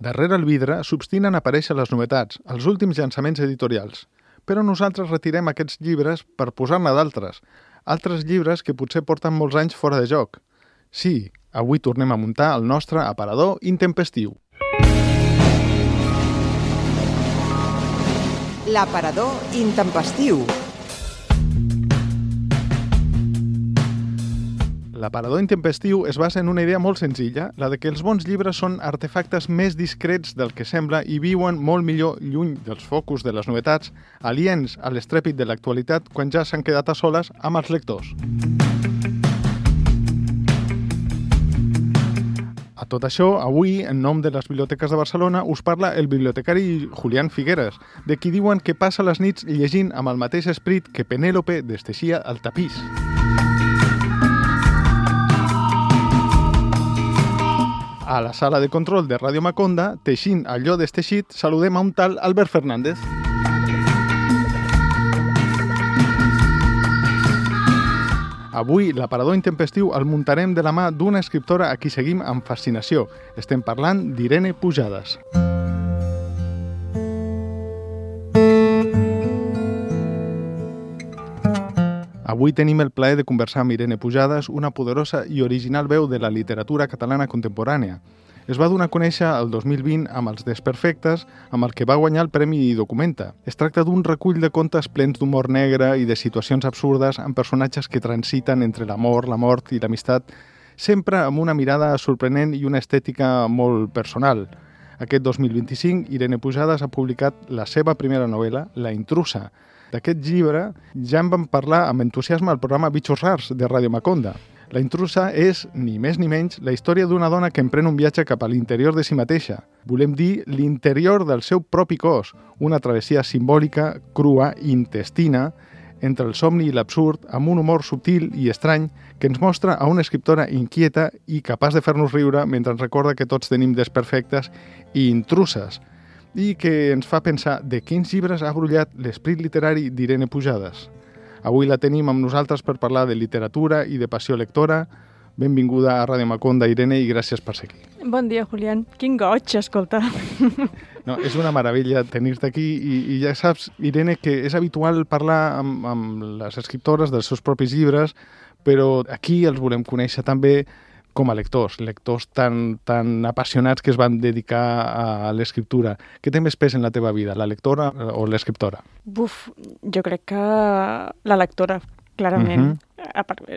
Darrere el vidre s'obstinen a aparèixer les novetats, els últims llançaments editorials. Però nosaltres retirem aquests llibres per posar-ne d'altres. Altres llibres que potser porten molts anys fora de joc. Sí, avui tornem a muntar el nostre aparador intempestiu. L'aparador intempestiu. L'aparador intempestiu es basa en una idea molt senzilla, la de que els bons llibres són artefactes més discrets del que sembla i viuen molt millor lluny dels focus de les novetats, aliens a l'estrèpit de l'actualitat quan ja s'han quedat a soles amb els lectors. A tot això, avui, en nom de les biblioteques de Barcelona, us parla el bibliotecari Julián Figueres, de qui diuen que passa les nits llegint amb el mateix esperit que Penèlope desteixia el tapís. A la sala de control de Ràdio Maconda, teixint allò desteixit, saludem a un tal Albert Fernández. Avui, l'aparador intempestiu el muntarem de la mà d'una escriptora a qui seguim amb fascinació. Estem parlant d'Irene Pujades. Avui tenim el plaer de conversar amb Irene Pujades, una poderosa i original veu de la literatura catalana contemporània. Es va donar a conèixer el 2020 amb Els Desperfectes, amb el que va guanyar el Premi Documenta. Es tracta d'un recull de contes plens d'humor negre i de situacions absurdes amb personatges que transiten entre l'amor, la mort i l'amistat, sempre amb una mirada sorprenent i una estètica molt personal. Aquest 2025, Irene Pujades ha publicat la seva primera novel·la, La intrusa. D'aquest llibre ja en vam parlar amb entusiasme al programa Bitxos Rars de Ràdio Maconda. La intrusa és, ni més ni menys, la història d'una dona que emprèn un viatge cap a l'interior de si mateixa. Volem dir l'interior del seu propi cos, una travessia simbòlica, crua i intestina, entre el somni i l'absurd, amb un humor subtil i estrany que ens mostra a una escriptora inquieta i capaç de fer-nos riure mentre ens recorda que tots tenim desperfectes i intruses, i que ens fa pensar de quins llibres ha brollat l'esprit literari d'Irene Pujades. Avui la tenim amb nosaltres per parlar de literatura i de passió lectora. Benvinguda a Ràdio Maconda, Irene, i gràcies per ser aquí. Bon dia, Julián. Quin goig, escolta. No, és una meravella tenir-te aquí i ja saps, Irene, que és habitual parlar amb les escriptores dels seus propis llibres, però aquí els volem conèixer també com a lectors tan apassionats que es van dedicar a l'escriptura. Què té més pes en la teva vida, la lectora o l'escriptora? Jo crec que la lectora, clarament.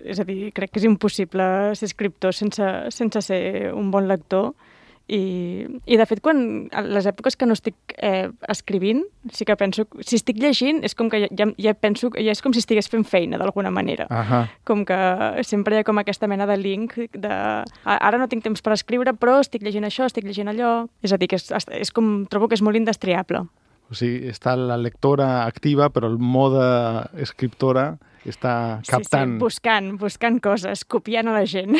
És a dir, crec que és impossible ser escriptor sense ser un bon lector. I de fet, a les èpoques que no estic escrivint, sí que penso, si estic llegint, és com que ja penso, ja és com si estigués fent feina d'alguna manera. Com que sempre hi ha com aquesta mena de link de ara no tinc temps per escriure, però estic llegint això, estic llegint allò. És a dir, que és com, trobo que és molt indestriable. O sigui, està la lectora activa, però el mode escriptora està captant. Sí, buscant coses, copiant a la gent.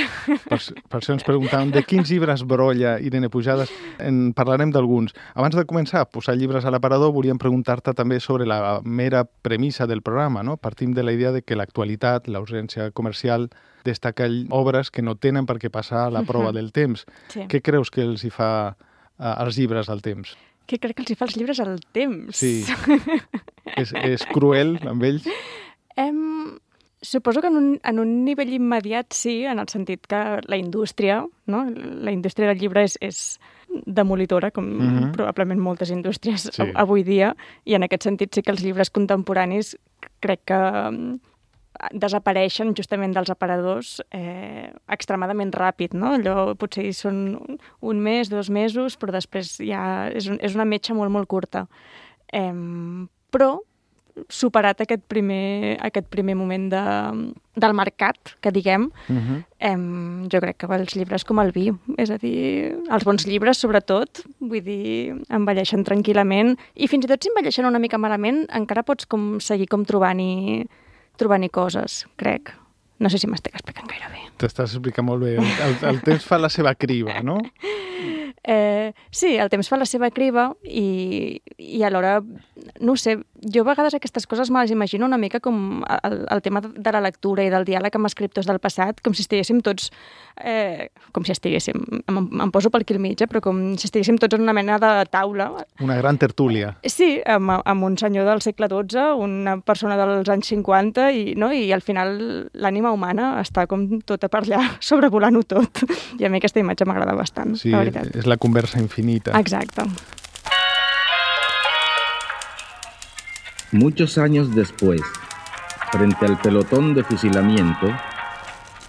Per això ens preguntàvem de quins llibres brolla Irene Pujades. En parlarem d'alguns. Abans de començar a posar llibres a l'aparador, volíem preguntar-te també sobre la mera premissa del programa, no? Partim de la idea de que l'actualitat, l'ausència comercial, destaca obres que no tenen per què passar la prova del temps. Sí. Què creus que els hi fa als llibres al temps? Què crec que els hi fa als llibres al temps? Sí. És cruel amb ells? Suposo que en un nivell immediat sí, en el sentit que la indústria, no? La indústria del llibre és demolitora, com probablement moltes indústries avui dia, i en aquest sentit sí que els llibres contemporanis crec que desapareixen justament dels aparadors extremadament ràpid, no? Allò potser són un mes, 2 mesos, però després ja és una metxa molt, molt curta. Però superat aquest primer moment del mercat, que diguem, jo crec que els llibres com el vi, és a dir, els bons llibres sobretot, vull dir, envelleixen tranquil·lament, i fins i tot si envelleixen una mica malament, encara pots seguir trobant-hi coses, crec. No sé si m'estic explicant gaire bé. T'estàs explicant molt bé. El temps fa la seva criba, no? Sí, el temps fa la seva criba i alhora, no ho sé, jo a vegades aquestes coses me les imagino una mica com el tema de la lectura i del diàleg amb escriptors del passat, com si estiguéssim tots, em poso per aquí al mig, però com si estiguéssim tots en una mena de taula. Una gran tertúlia. Sí, amb un senyor del segle XII, una persona dels anys 50, i al final l'ànima humana està com tota per allà, sobrevolant-ho tot. I a mi aquesta imatge m'agrada bastant, sí, la veritat. És la conversa infinita. Exacte. Muchos años después, frente al pelotón de fusilamiento,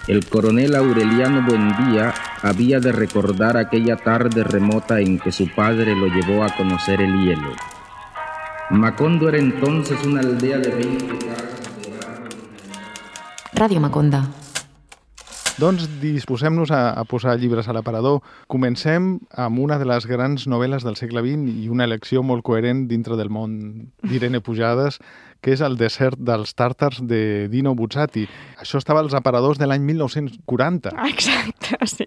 el coronel Aureliano Buendía había de recordar aquella tarde remota en que su padre lo llevó a conocer el hielo. Macondo era entonces una aldea de 20 casas de barro. Ràdio Maconda. Doncs disposem-nos a posar llibres a l'aparador. Comencem amb una de les grans novel·les del segle XX i una elecció molt coherent dintre del món d'Irene Pujades, que és El desert dels tàrtars de Dino Buzzati. Això estava als aparadors de l'any 1940. Exacte, sí.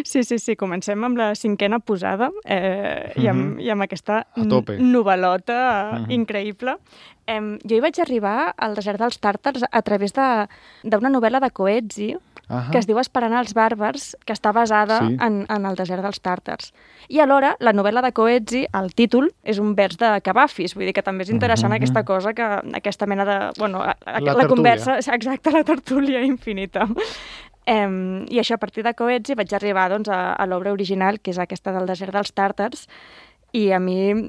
Sí, comencem amb la 5a posada i amb aquesta novel·lota increïble. Jo hi vaig arribar al desert dels tàrtars a través d'una novel·la de Coetzee, que es diu Esperant els bàrbars, que està basada en el desert dels tàrtars. I alhora, la novel·la de Coetzee, el títol, és un vers de Cavafis, vull dir que també és interessant aquesta cosa, aquesta mena de... la conversa, exacte, la tertúlia infinita. I això, a partir de Coetzee, vaig arribar a l'obra original, que és aquesta del desert dels tàrtars, i a mi,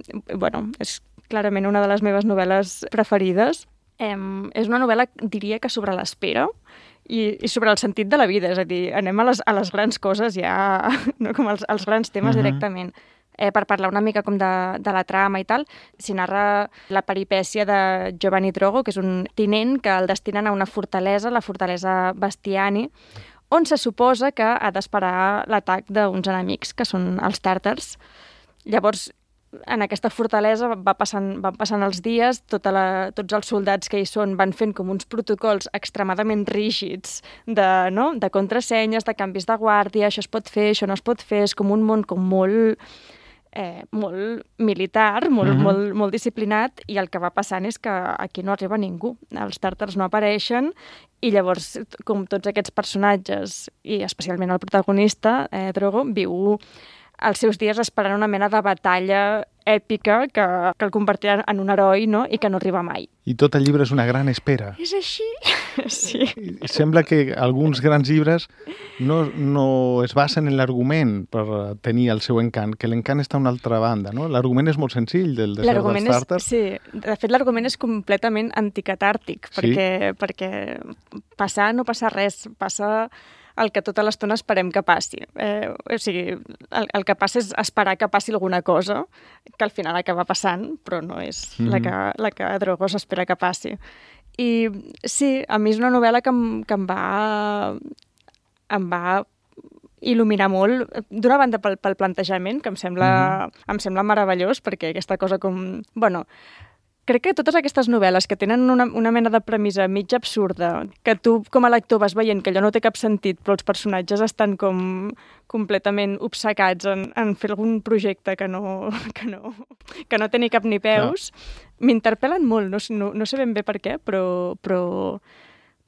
és clarament una de les meves novel·les preferides. És una novel·la, diria que sobre l'espera, i sobre el sentit de la vida, és a dir, anem a les grans coses ja, no? Com als grans temes directament. Per parlar una mica com de la trama i tal, s'hi narra la peripècia de Giovanni Drogo, que és un tinent que el destinen a una fortalesa, la fortalesa Bastiani, on se suposa que ha d'esperar l'atac d'uns enemics, que són els tàrtars. Llavors, en aquesta fortalesa van passant els dies, tots els soldats que hi són van fent com uns protocols extremadament rígids de contrasenyes, de canvis de guàrdia, això es pot fer, això no es pot fer, és com un món com molt militar, molt disciplinat, i el que va passant és que aquí no arriba ningú. Els tàrtars no apareixen, i llavors, com tots aquests personatges, i especialment el protagonista, Drogo, viu els seus dies esperant una mena de batalla èpica que el convertirà en un heroi, no? I que no arriba mai. I tot el llibre és una gran espera. És així? Sí. Sembla que alguns grans llibres no es basen en l'argument per tenir el seu encant, que l'encant està a una altra banda, no? L'argument és molt senzill del desert dels tàrtars. Sí, de fet l'argument és completament anticatàrtic, perquè passar no passa res, passa el que tota l'estona esperem que passi. O sigui, el que passa és esperar que passi alguna cosa, que al final acaba passant, però no és la que Drogo s'espera que passi. I sí, a mi és una novel·la que em va il·luminar molt, d'una banda pel plantejament, que em sembla meravellós, perquè aquesta cosa com... Crec que totes aquestes novel·les que tenen una mena de premissa mig absurda, que tu com a lector vas veient que allò no té cap sentit, però els personatges estan com completament obcecats en fer algun projecte que no té ni cap ni peus, m'interpel·len molt, no sé ben bé per què, però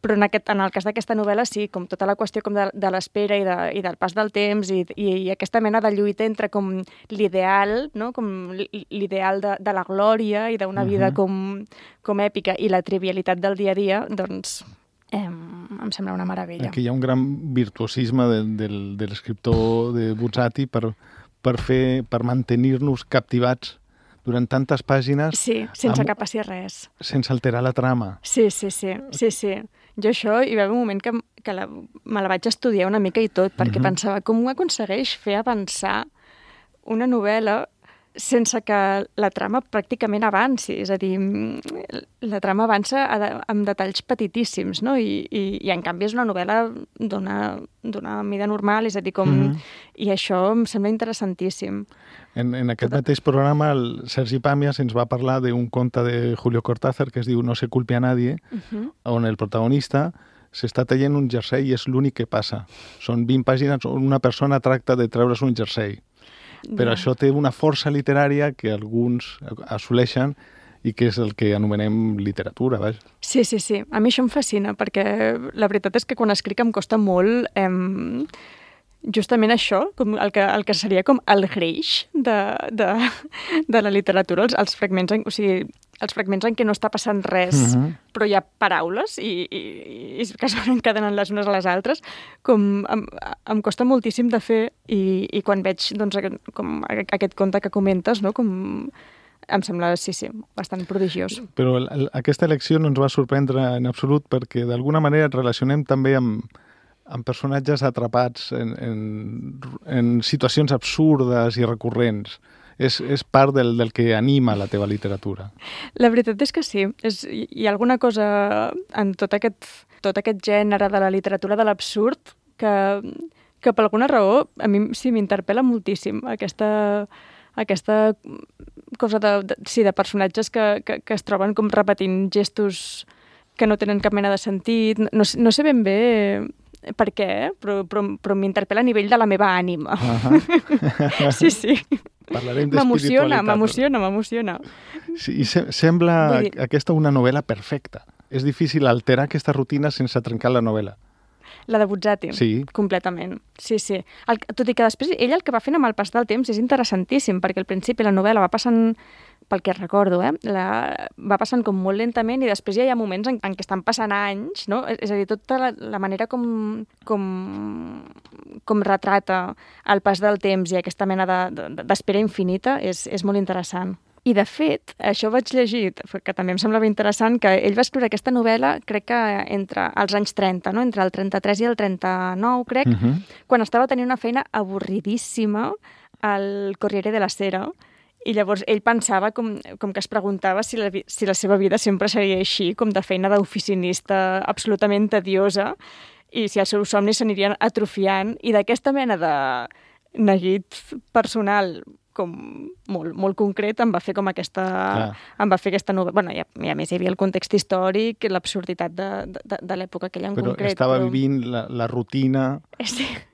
en el cas d'aquesta novel·la sí, com tota la qüestió com de l'espera i del pas del temps i aquesta mena de lluita entre com l'ideal, no? Com l'ideal de la glòria i d'una vida com èpica i la trivialitat del dia a dia, doncs em sembla una meravella. Aquí hi ha un gran virtuosisme de l'escriptor de Buzzati per mantenir-nos captivats durant tantes pàgines... Sí, sense que passi res. Sense alterar la trama. Sí. Jo això, hi va haver un moment que me la vaig estudiar una mica i tot, perquè pensava com ho aconsegueix fer avançar una novel·la sense que la trama pràcticament avanci. És a dir, la trama avança amb detalls petitíssims, no? I en canvi és una novel·la d'una mida normal, és a dir, com... I això em sembla interessantíssim. En aquest mateix programa, el Sergi Pàmies ens va parlar d'un conte de Julio Cortázar que es diu No se culpe a nadie, on el protagonista s'està traient un jersei i és l'únic que passa. Són 20 pàgines on una persona tracta de treure's un jersei. Però això té una força literària que alguns assoleixen i que és el que anomenem literatura, vaja. Sí. A mi això em fascina, perquè la veritat és que quan escric em costa molt justament això, com el que seria com el greix de la literatura, els fragments, els fragments en què no està passant res, però hi ha paraules i que es van encadenant les unes a les altres, com em costa moltíssim de fer i quan veig doncs, com aquest conte que comentes, no? Com em sembla, sí, bastant prodigiós. Però aquesta elecció no ens va sorprendre en absolut perquè d'alguna manera et relacionem també amb personatges atrapats en situacions absurdes i recurrents. És part del que anima la teva literatura. La veritat és que sí. Hi ha alguna cosa en tot aquest gènere de la literatura de l'absurd que per alguna raó a mi sí m'interpel·la moltíssim. Aquesta cosa de personatges que es troben com repetint gestos que no tenen cap mena de sentit. No sé ben bé per què, però m'interpel·la a nivell de la meva ànima. Sí. Parlarem d'espiritualitat. M'emociona. Sí, i sembla aquesta una novel·la perfecta. És difícil alterar aquesta rutina sense trencar la novel·la. La de Buzzati, sí. Completament. Sí. Tot i que després ell el que va fent amb el pas del temps és interessantíssim, perquè al principi la novel·la va passant, pel que recordo, va passant com molt lentament i després ja hi ha moments en què estan passant anys, no? És a dir, tota la manera com retrata el pas del temps i aquesta mena d'espera infinita és molt interessant. I, de fet, això vaig llegir, que també em semblava interessant, que ell va escriure aquesta novel·la, crec que entre els anys 30, no? Entre el 33 i el 39, crec, quan estava tenint una feina avorridíssima al Corriere della Sera, i llavors ell pensava com que es preguntava si la seva vida sempre seria així, com de feina d'oficinista absolutament tediosa, i si els seus somnis s'anirien atrofiant, i d'aquesta mena de neguit personal com molt concret em va fer com aquesta novel·la. Bueno, i a més hi havia el context històric, l'absurditat de l'època aquella en concret. Però estava vivint la rutina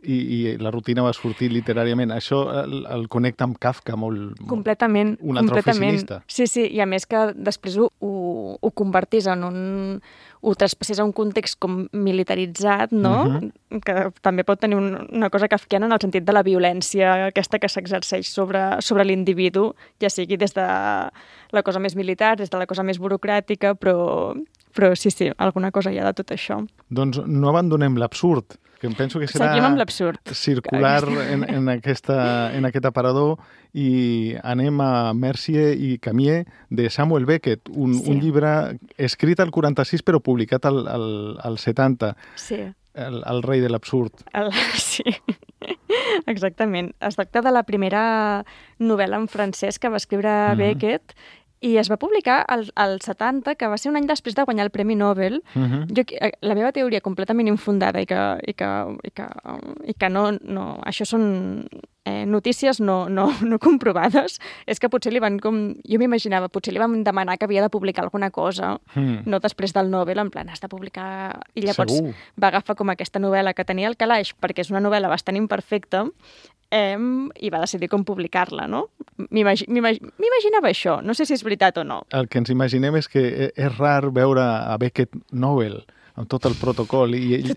i la rutina va sortir literàriament. Això el connecta amb Kafka molt. Completament. Un altre oficinista. Sí, i a més que després ho convertís en ho traspassés a un context com militaritzat, no? Que també pot tenir una cosa kafkiana en el sentit de la violència aquesta que s'exerceix sobre l'individu, ja sigui des de la cosa més militar, des de la cosa més burocràtica, però sí, alguna cosa hi ha de tot això. Doncs no abandonem l'absurd, que em penso que serà circular en aquest aparador, i anem a Mercier i Camier de Samuel Beckett, un llibre escrit al 46 però publicat al 70. Sí. El rei de l'absurd. Sí, exactament. Es tracta de la primera novel·la en francès que va escriure Beckett i es va publicar al 70, que va ser un any després de guanyar el Premi Nobel. La meva teoria completament infundada i que no això són notícies no comprovades, és que potser li van jo m''imaginava, potser li van demanar que havia de publicar alguna cosa, no després del Nobel, en plan, has de publicar... I llavors va agafar com aquesta novel·la que tenia al calaix, perquè és una novel·la bastant imperfecta, i va decidir com publicar-la, no? M'imaginava això, no sé si és veritat o no. El que ens imaginem és que és rar veure a Beckett Nobel, amb tot el protocol, i ell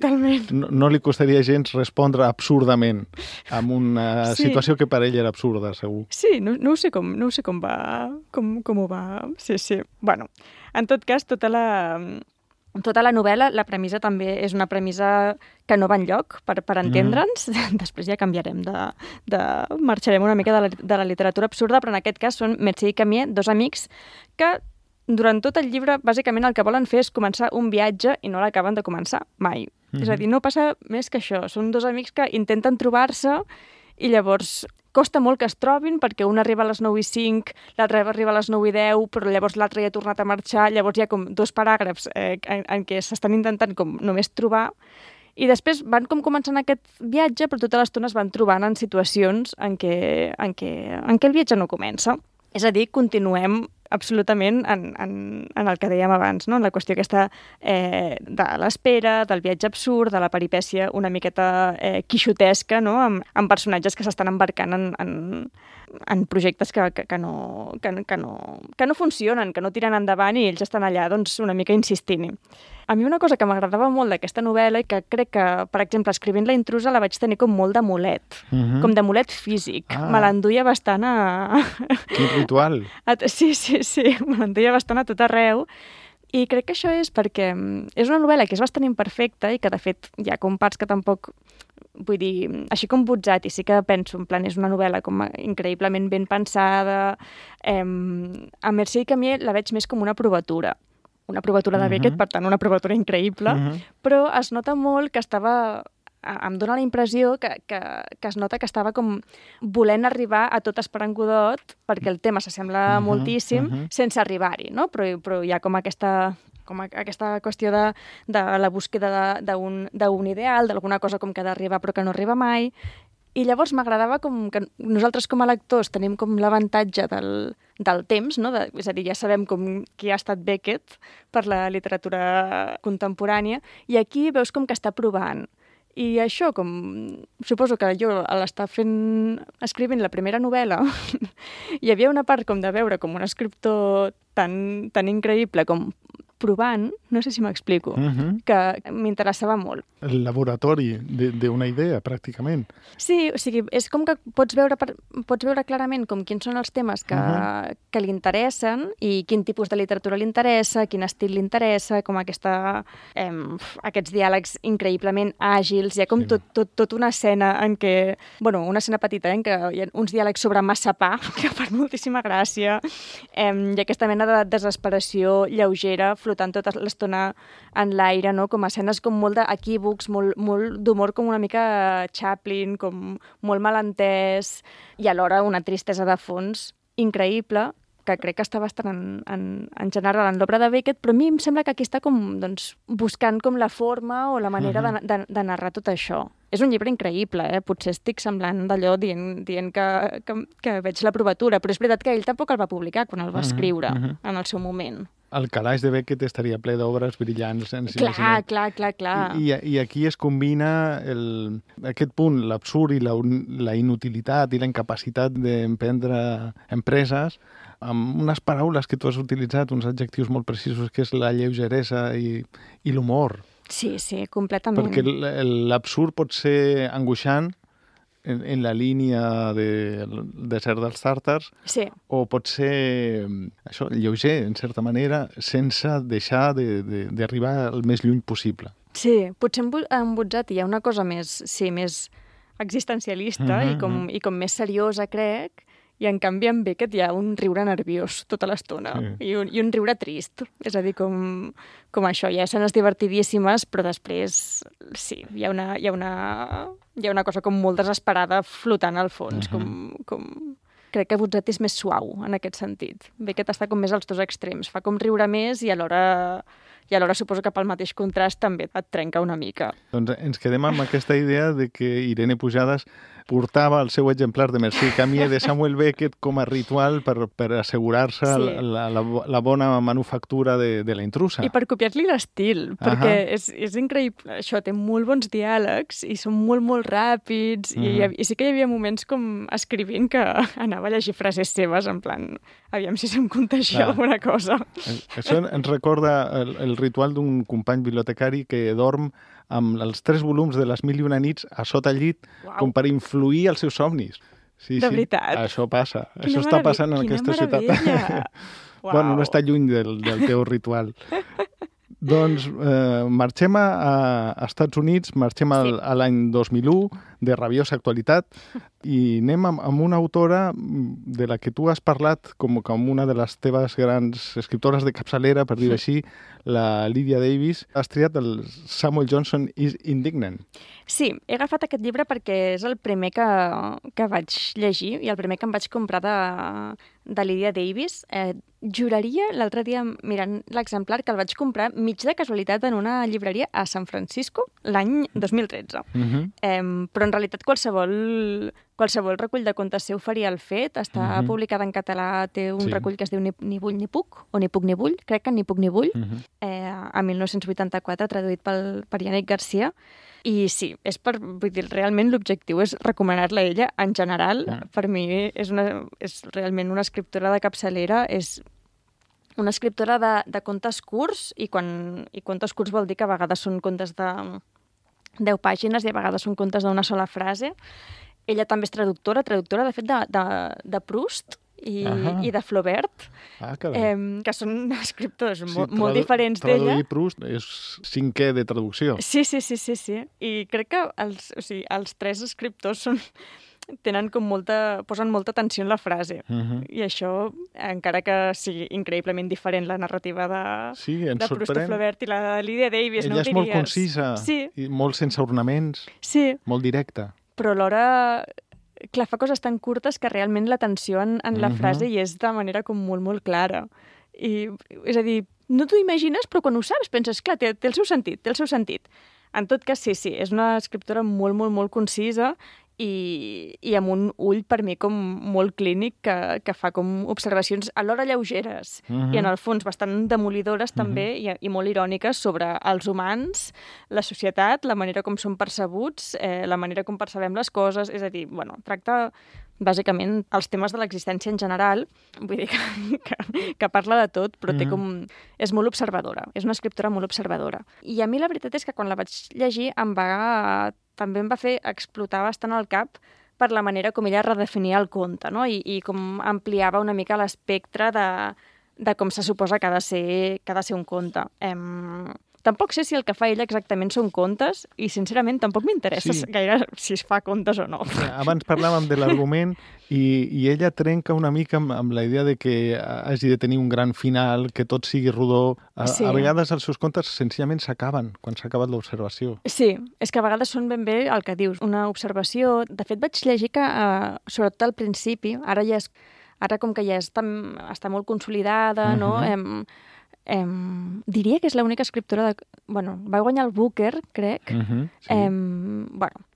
no li costaria gens respondre absurdament amb una situació que per ell era absurda, segur. Sí, no sé com ho va... Sí. Bueno, en tot cas, tota la novel·la, la premissa també és una premissa que no va enlloc, per entendre'ns. Després ja canviarem marxarem una mica de la literatura absurda, però en aquest cas són Mercier i Camier, dos amics que durant tot el llibre bàsicament el que volen fer és començar un viatge i no l'acaben de començar mai. És a dir, no passa més que això. Són dos amics que intenten trobar-se i llavors costa molt que es trobin perquè un arriba a les 9:05, l'altre arriba a les 9:10, però llavors l'altre ja ha tornat a marxar, llavors hi ha com dos paràgrafs en què s'estan intentant com només trobar i després van com començant aquest viatge, però tota l'estona es van trobant en situacions en què el viatge no comença. És a dir, continuem absolutament en el que dèiem abans, no? En la qüestió aquesta de l'espera, del viatge absurd, de la peripècia una miqueta quixotesca, no? Amb personatges que s'estan embarcant en projectes que no funcionen, que no tiren endavant i ells estan allà doncs, una mica insistint-hi. A mi una cosa que m'agradava molt d'aquesta novel·la i que crec que, per exemple, escrivint La intrusa la vaig tenir com molt de mulet, com de mulet físic. Me l'enduia bastant a... Quin ritual! Sí, me l'enduia bastant a tot arreu. I crec que això és perquè és una novel·la que és bastant imperfecta i que, de fet, hi ha com parts que tampoc... Vull dir, així com Buzzati, sí que penso, en plan, és una novel·la com increïblement ben pensada. A Mercè i Camier la veig més com una provatura de Beckett, per tant, una provatura increïble, però es nota molt que em dóna la impressió que es nota que estava com volent arribar a tot Esperant Godot, perquè el tema s'assembla moltíssim, sense arribar-hi, no? Però hi ha com aquesta qüestió de la búsqueda d'un ideal, d'alguna cosa com que ha d'arribar però que no arriba mai. I llavors m'agradava com que nosaltres com a lectors tenim com l'avantatge del temps, no? És a dir, ja sabem com qui ha estat Beckett per la literatura contemporània, i aquí veus com que està provant. I això, com suposo que jo a l'estar escrivint la primera novel·la, hi havia una part com de veure com un escriptor tan increïble com provant, no sé si m'explico, que m'interessava molt. El laboratori d'una idea, pràcticament. Sí, o sigui, és com que pots veure clarament com quins són els temes que li interessen i quin tipus de literatura li interessa, quin estil li interessa, com aquests diàlegs increïblement àgils. Hi ha com tot una escena en què, bueno, una escena petita, en què hi ha uns diàlegs sobre massa pa, que fan moltíssima gràcia, i aquesta mena de desesperació lleugera flotant tota l'estona en l'aire, no? Com escenes com molt d'equívocs, molt d'humor com una mica Chaplin, com molt malentès, i alhora una tristesa de fons increïble, que crec que està bastant en general en l'obra de Beckett, però a mi em sembla que aquí està com, doncs, buscant com la forma o la manera de narrar tot això. És un llibre increïble, potser estic semblant d'allò dient que veig la provatura, però és veritat que ell tampoc el va publicar quan el va escriure en el seu moment. El calaix de Beckett estaria ple d'obres brillants. Clar. I aquí es combina aquest punt, l'absurd i la inutilitat i la incapacitat d'emprendre empreses amb unes paraules que tu has utilitzat, uns adjectius molt precisos, que és la lleugeresa i l'humor. Sí, completament. Perquè l'absurd pot ser angoixant en la línia de desert dels tàrtars, o pot ser això, lleuger, en certa manera, sense deixar d'arribar al més lluny possible. Sí, potser en Buzzati hi ha una cosa més existencialista i com més seriosa, crec, i en canvi en Beckett hi ha un riure nerviós tota l'estona i un riure trist. És a dir, com això, hi ha escenes divertidíssimes, però després sí, hi ha una cosa com molt desesperada flotant al fons. Crec que Buzzati és més suau en aquest sentit. Beckett està com més als dos extrems, fa com riure més i alhora suposo que pel mateix contrast també et trenca una mica. Doncs ens quedem amb aquesta idea de que Irene Pujades portava el seu exemplar de Mercè i Camier de Samuel Beckett com a ritual per assegurar-se la bona manufactura de La intrusa. I per copiar-li l'estil, perquè és increïble. Això té molt bons diàlegs i són molt, molt ràpids i sí que hi havia moments com escrivint que anava a llegir frases seves en plan, aviam si se'm contagia alguna cosa. Això ens recorda el ritual d'un company bibliotecari que dorm amb els 3 volums de Les mil i una nits a sota el llit, com per influir els seus somnis. Sí, de veritat? Això passa. Això està passant en aquesta ciutat. Bueno, no està lluny del teu ritual. Doncs marxem a Estats Units, marxem a l'any 2001, de rabiosa actualitat, i anem amb una autora de la que tu has parlat com una de les teves grans escriptores de capçalera, per dir així, la Lydia Davis. Has triat el Samuel Johnson is Indignant. Sí, he agafat aquest llibre perquè és el primer que vaig llegir i el primer que em vaig comprar de Lydia Davis. Juraria l'altre dia, mirant l'exemplar, que el vaig comprar mig de casualitat en una llibreria a San Francisco l'any 2013. Però en realitat qualsevol qualsevol recull de contes seu faria el fet. Està publicada en català, té un recull que es diu Ni vull ni puc, o Ni puc ni vull, crec que Ni puc ni vull, a 1984, traduït per Yannick Garcia. I sí, vull dir, realment l'objectiu és recomanar-la a ella. En general, per mi és realment una escriptora de capçalera, és una escriptora de contes curts, i contes curts vol dir que a vegades són contes de 10 pàgines i a vegades són contes d'una sola frase. Ella també és traductora de fet, de Proust i de Flaubert, que són escriptors molt diferents d'ella. Traduir Proust és 5è de traducció. Sí. I crec que els 3 escriptors posen molta atenció en la frase. I això, encara que sigui increïblement diferent la narrativa de Proust i Flaubert i la de Lydia Davis, ella és molt concisa, i molt sense ornaments, molt directa. Però alhora, clar, fa coses tan curtes que realment l'atenció en la frase hi és de manera com molt, molt clara. És a dir, no t'ho imagines, però quan ho saps penses, clar, té el seu sentit. En tot cas, sí, és una escriptora molt, molt, molt concisa i amb un ull, per mi, com molt clínic, que fa com observacions alhora lleugeres i, en el fons, bastant demolidores també i molt iròniques sobre els humans, la societat, la manera com són percebuts, la manera com percebem les coses. És a dir, tracta bàsicament els temes de l'existència en general. Vull dir que parla de tot, però és molt observadora. És una escriptora molt observadora. I a mi la veritat és que quan la vaig llegir també em va fer explotar bastant el cap per la manera com ella redefinia el conte, no? I com ampliava una mica l'espectre de com se suposa que ha de ser un conte. Tampoc sé si el que fa ella exactament són contes i, sincerament, tampoc m'interessa gaire si es fa contes o no. Abans parlàvem de l'argument i ella trenca una mica amb la idea de que hagi de tenir un gran final, que tot sigui rodó. A vegades els seus contes senzillament s'acaben quan s'ha acabat l'observació. Sí, és que a vegades són ben bé el que dius, una observació. De fet, vaig llegir que, sobretot al principi, ara com que ja està molt consolidada, no? Diria que és l'única escriptora va guanyar el Booker, crec.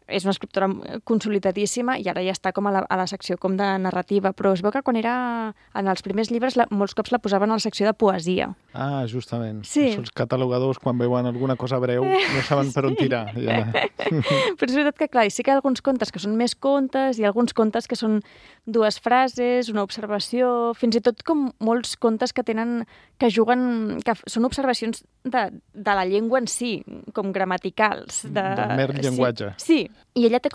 És una escriptora consolidadíssima i ara ja està com a la secció com de narrativa, però es veu que quan era en els primers llibres molts cops la posaven a la secció de poesia. Ah, justament. Els catalogadors, quan veuen alguna cosa breu, no saben per on tirar. Però és veritat que, clar, sí que hi ha alguns contes que són més contes i alguns contes que són 2 frases, una observació, fins i tot com molts contes que juguen, que són observacions de la llengua en si, com gramaticals. Del mer llenguatge. Sí, i ella té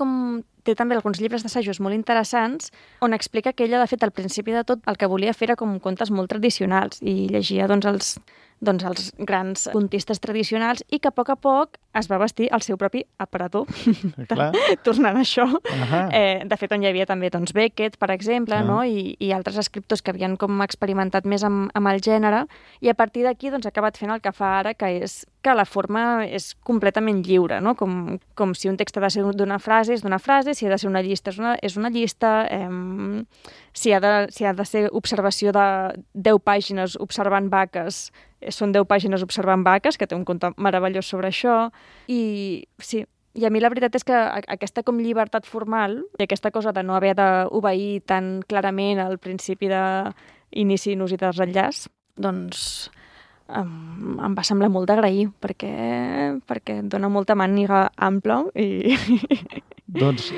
també alguns llibres d'assajos molt interessants on explica que ella, de fet, al principi de tot, el que volia fer era com contes molt tradicionals i llegia els grans contistes tradicionals i que a poc es va vestir el seu propi aparador. Tornant a això. De fet, on hi havia també Beckett, per exemple, i altres escriptors que havien com experimentat més amb el gènere, i a partir d'aquí ha acabat fent el que fa ara, que és que la forma és completament lliure, no? Com si un text ha de ser d'una frase, és d'una frase, si ha de ser una llista, és una llista, si ha de ser observació de 10 pàgines observant vaques, són 10 pàgines observant vaques, que té un conte meravellós sobre això. I sí, i a mi la veritat és que aquesta com llibertat formal i aquesta cosa de no haver d'obeir tan clarament al principi d'inici, nus i desenllaç, doncs em va semblar molt d'agrair, perquè dona molta màniga ampla i... Doncs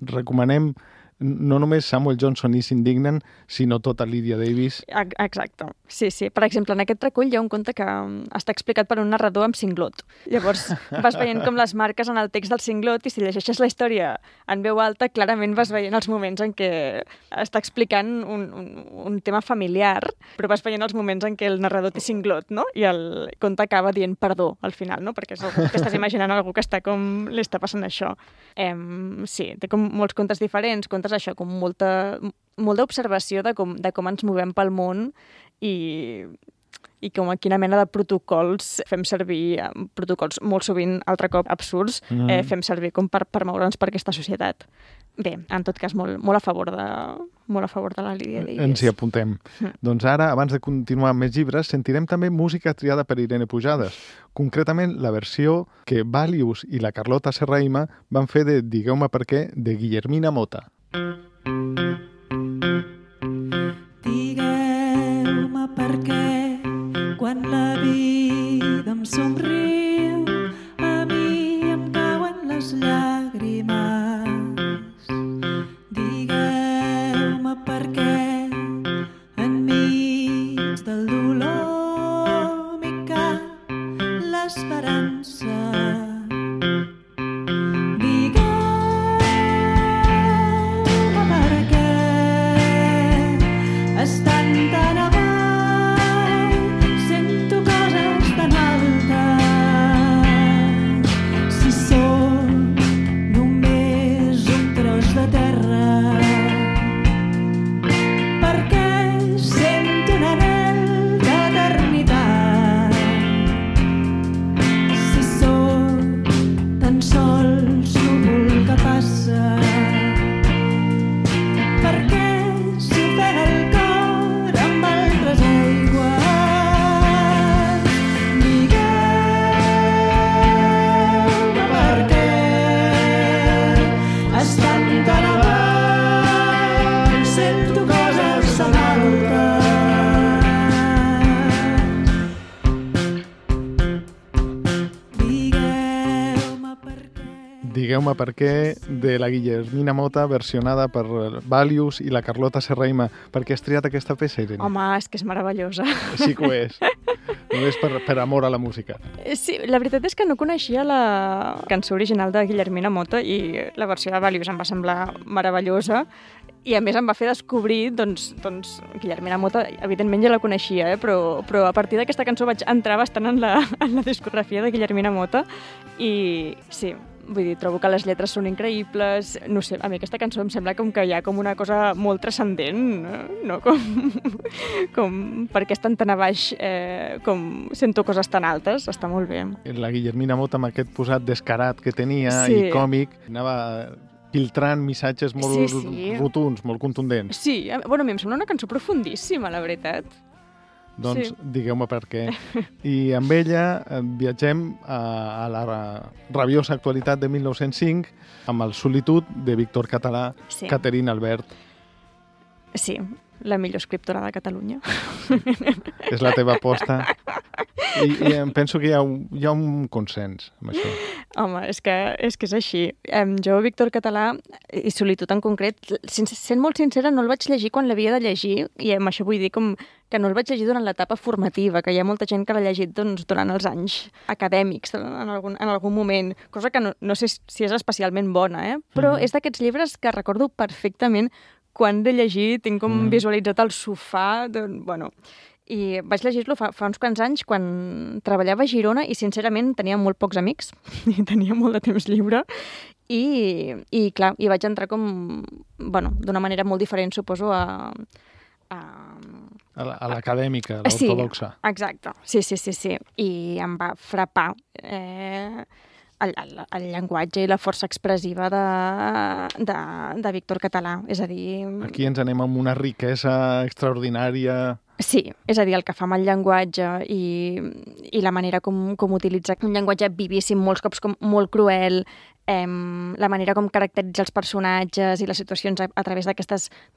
recomanem no només Samuel Johnson i s'indignen, sinó tota Lydia Davis. Exacte. Sí. Per exemple, en aquest recull hi ha un conte que està explicat per un narrador amb cinglot. Llavors, vas veient com les marques en el text del cinglot i si llegeixes la història en veu alta, clarament vas veient els moments en què està explicant un tema familiar, però vas veient els moments en què el narrador té cinglot, no? I el conte acaba dient perdó al final, no? Perquè t'estàs imaginant algú que està com li està passant això. Sí, té com molts contes diferents, contes això, com molta observació de com ens movem pel món i com a quina mena de protocols fem servir, protocols molt sovint, altre cop, absurds, fem servir com per moure'ns per aquesta societat. Bé, en tot cas, molt a favor de la Lydia Davis. Ens hi apuntem. Doncs ara, abans de continuar amb més llibres, sentirem també música triada per Irene Pujades. Concretament, la versió que Valius i la Carlota Serraima van fer de Digueu-me per què, de Guillermina Motta. Digueu-me per què quan la vida em somriu a mi em cauen les llàgrimes. Digueu-me per què enmig del dolor m'hi cap l'esperança. Digueu-me per què estan tan avall, sento coses tan altes. Si sóc només un tros de terra, perquè sento un anhel d'eternitat. Si sóc tan sols núvol que passa, perquè s'ofega el cor amb altres aigües. Digueu-me per què estan tan avall, sento coses tan altes. Digueu-me per què. Digueu-me per què, de la Guillermina Motta, versionada per Valius i la Carlota Serraima. Per què has triat aquesta peça, Irene? Home, és que és meravellosa. Sí que ho és. Només per amor a la música. Sí, la veritat és que no coneixia la cançó original de Guillermina Motta i la versió de Valius em va semblar meravellosa i a més em va fer descobrir, doncs Guillermina Motta, evidentment ja la coneixia, però a partir d'aquesta cançó vaig entrar bastant en la discografia de Guillermina Motta i sí, vull dir, trobo que les lletres són increïbles, no sé, a mi aquesta cançó em sembla com que hi ha com una cosa molt transcendent, no? Com perquè estan tan a baix, com sento coses tan altes, està molt bé. La Guillermina Motta, amb aquest posat descarat que tenia Sí. i còmic, anava filtrant missatges molt Sí. rotunds, molt contundents. Sí, bueno, a mi em sembla una cançó profundíssima, la veritat. Doncs Sí. digueu-me per què. I amb ella viatgem a la rabiosa actualitat de 1905 amb el Solitud de Víctor Català, Sí. Caterina Albert. Sí, la millor escriptora de Catalunya. És la teva aposta. I em penso que hi ha un consens amb això. Home, és que és així. Jo, Víctor Català, i Solitud en concret, sent molt sincera, no el vaig llegir quan l'havia de llegir, i amb això vull dir com que no el vaig llegir durant l'etapa formativa, que hi ha molta gent que l'ha llegit durant els anys acadèmics, en algun moment, cosa que no sé si és especialment bona, però és d'aquests llibres que recordo perfectament quan de llegir, tinc com visualitzat el sofà, bueno... I vaig llegir-lo fa uns quants anys quan treballava a Girona i, sincerament, tenia molt pocs amics i tenia molt de temps lliure i clar, hi vaig entrar com, bueno, d'una manera molt diferent, suposo, a l'acadèmica, l'ortodoxa. Sí, exacte. Sí. I em va frapar el llenguatge i la força expressiva de Víctor Català. És a dir... Aquí ens anem amb una riquesa extraordinària. Sí, és a dir, el que fa amb el llenguatge i la manera com utilitza un llenguatge vivíssim, molts cops com molt cruel, la manera com caracteritza els personatges i les situacions a través de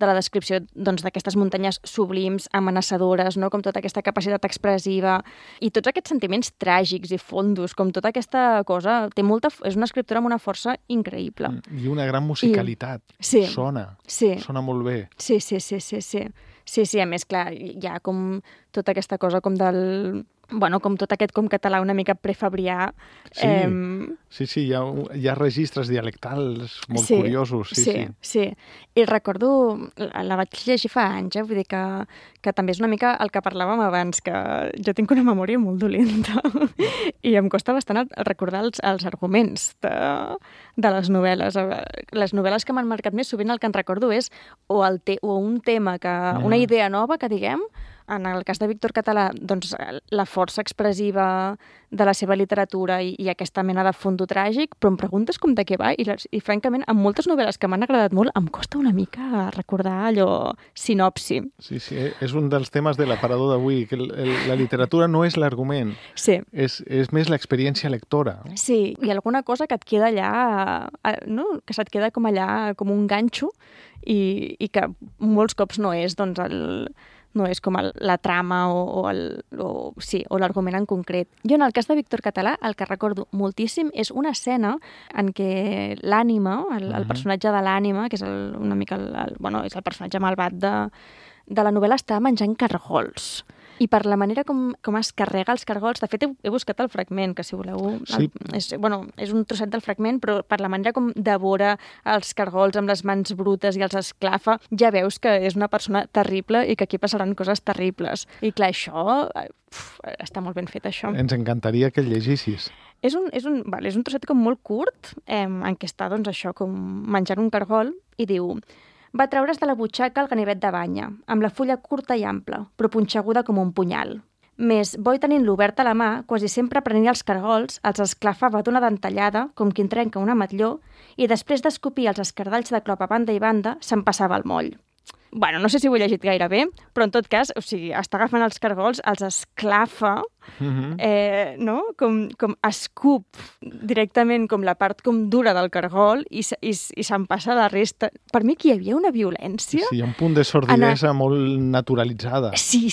la descripció d'aquestes muntanyes sublims, amenaçadores, no? Com tota aquesta capacitat expressiva i tots aquests sentiments tràgics i fondos, com tota aquesta cosa, és una escriptora amb una força increïble. I una gran musicalitat. Sí. Sona molt bé. Sí, a més, clar, hi ha com tota aquesta cosa com del... Bueno, com tot aquest com català una mica prefabrià. Sí, hi ha registres dialectals molt curiosos. Sí. I recordo, la vaig llegir fa anys, vull dir que també és una mica el que parlàvem abans, que jo tinc una memòria molt dolenta i em costa bastant recordar els arguments de les novel·les. Les novel·les que m'han marcat més sovint el que en recordo és o un tema, una idea nova que diguem, en el cas de Víctor Català, doncs, la força expressiva de la seva literatura i aquesta mena de fondo tràgic, però em preguntes com de què va i francament, amb moltes novel·les que m'han agradat molt, em costa una mica recordar allò sinopsi. Sí, és un dels temes de l'aparador d'avui, que la literatura no és l'argument, sí. és més l'experiència lectora. Sí, i alguna cosa que et queda allà, no? Que se't queda com allà, com un ganxo, i que molts cops no és, doncs, no és com la trama o l'argument en concret. Jo, en el cas de Víctor Català, el que recordo moltíssim és una escena en què l'ànima, el personatge de l'ànima, que és una mica és el personatge malvat de la novel·la, està menjant cargols. I per la manera com es carrega els cargols, de fet he buscat el fragment, que si voleu... Sí. És un trosset del fragment, però per la manera com devora els cargols amb les mans brutes i els esclafa, ja veus que és una persona terrible i que aquí passaran coses terribles. I clar, això... està molt ben fet, això. Ens encantaria que el llegissis. És un trosset com molt curt, en què està, doncs, això, com menjant un cargol, i diu... Va treure's de la butxaca el ganivet de banya, amb la fulla curta i ampla, però punxeguda com un punyal. Més, Boi tenint-lo obert a la mà, quasi sempre prenia els cargols, els esclafava d'una dentallada, com qui en trenca una matlló, i després d'escopir els escardalls de clop a banda i banda, se'n passava al moll. Bueno, no sé si ho he llegit gaire bé, però en tot cas, o sigui, està agafant els cargols, els esclafa, no? Com escup directament com la part com dura del cargol i se'n passa la resta. Per mi aquí hi havia una violència. Sí, un punt de sordidesa molt naturalitzada. Sí.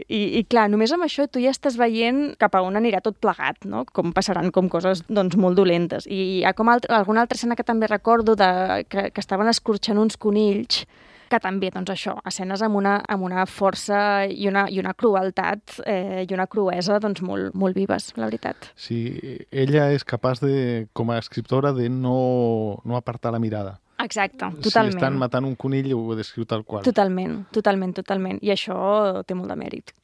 I clar, només amb això tu ja estàs veient cap a on anirà tot plegat, no? Com passaran com coses doncs, molt dolentes. I hi ha com alguna altra escena que també recordo que estaven escorxant uns conills, que també, doncs això, escenes amb una força i una crueltat i una cruesa doncs, molt, molt vives, la veritat. Sí, ella és capaç, com a escriptora, de no apartar la mirada. Exacte, totalment. Si estan matant un conill, ho descriu tal qual. Totalment. I això té molt de mèrit.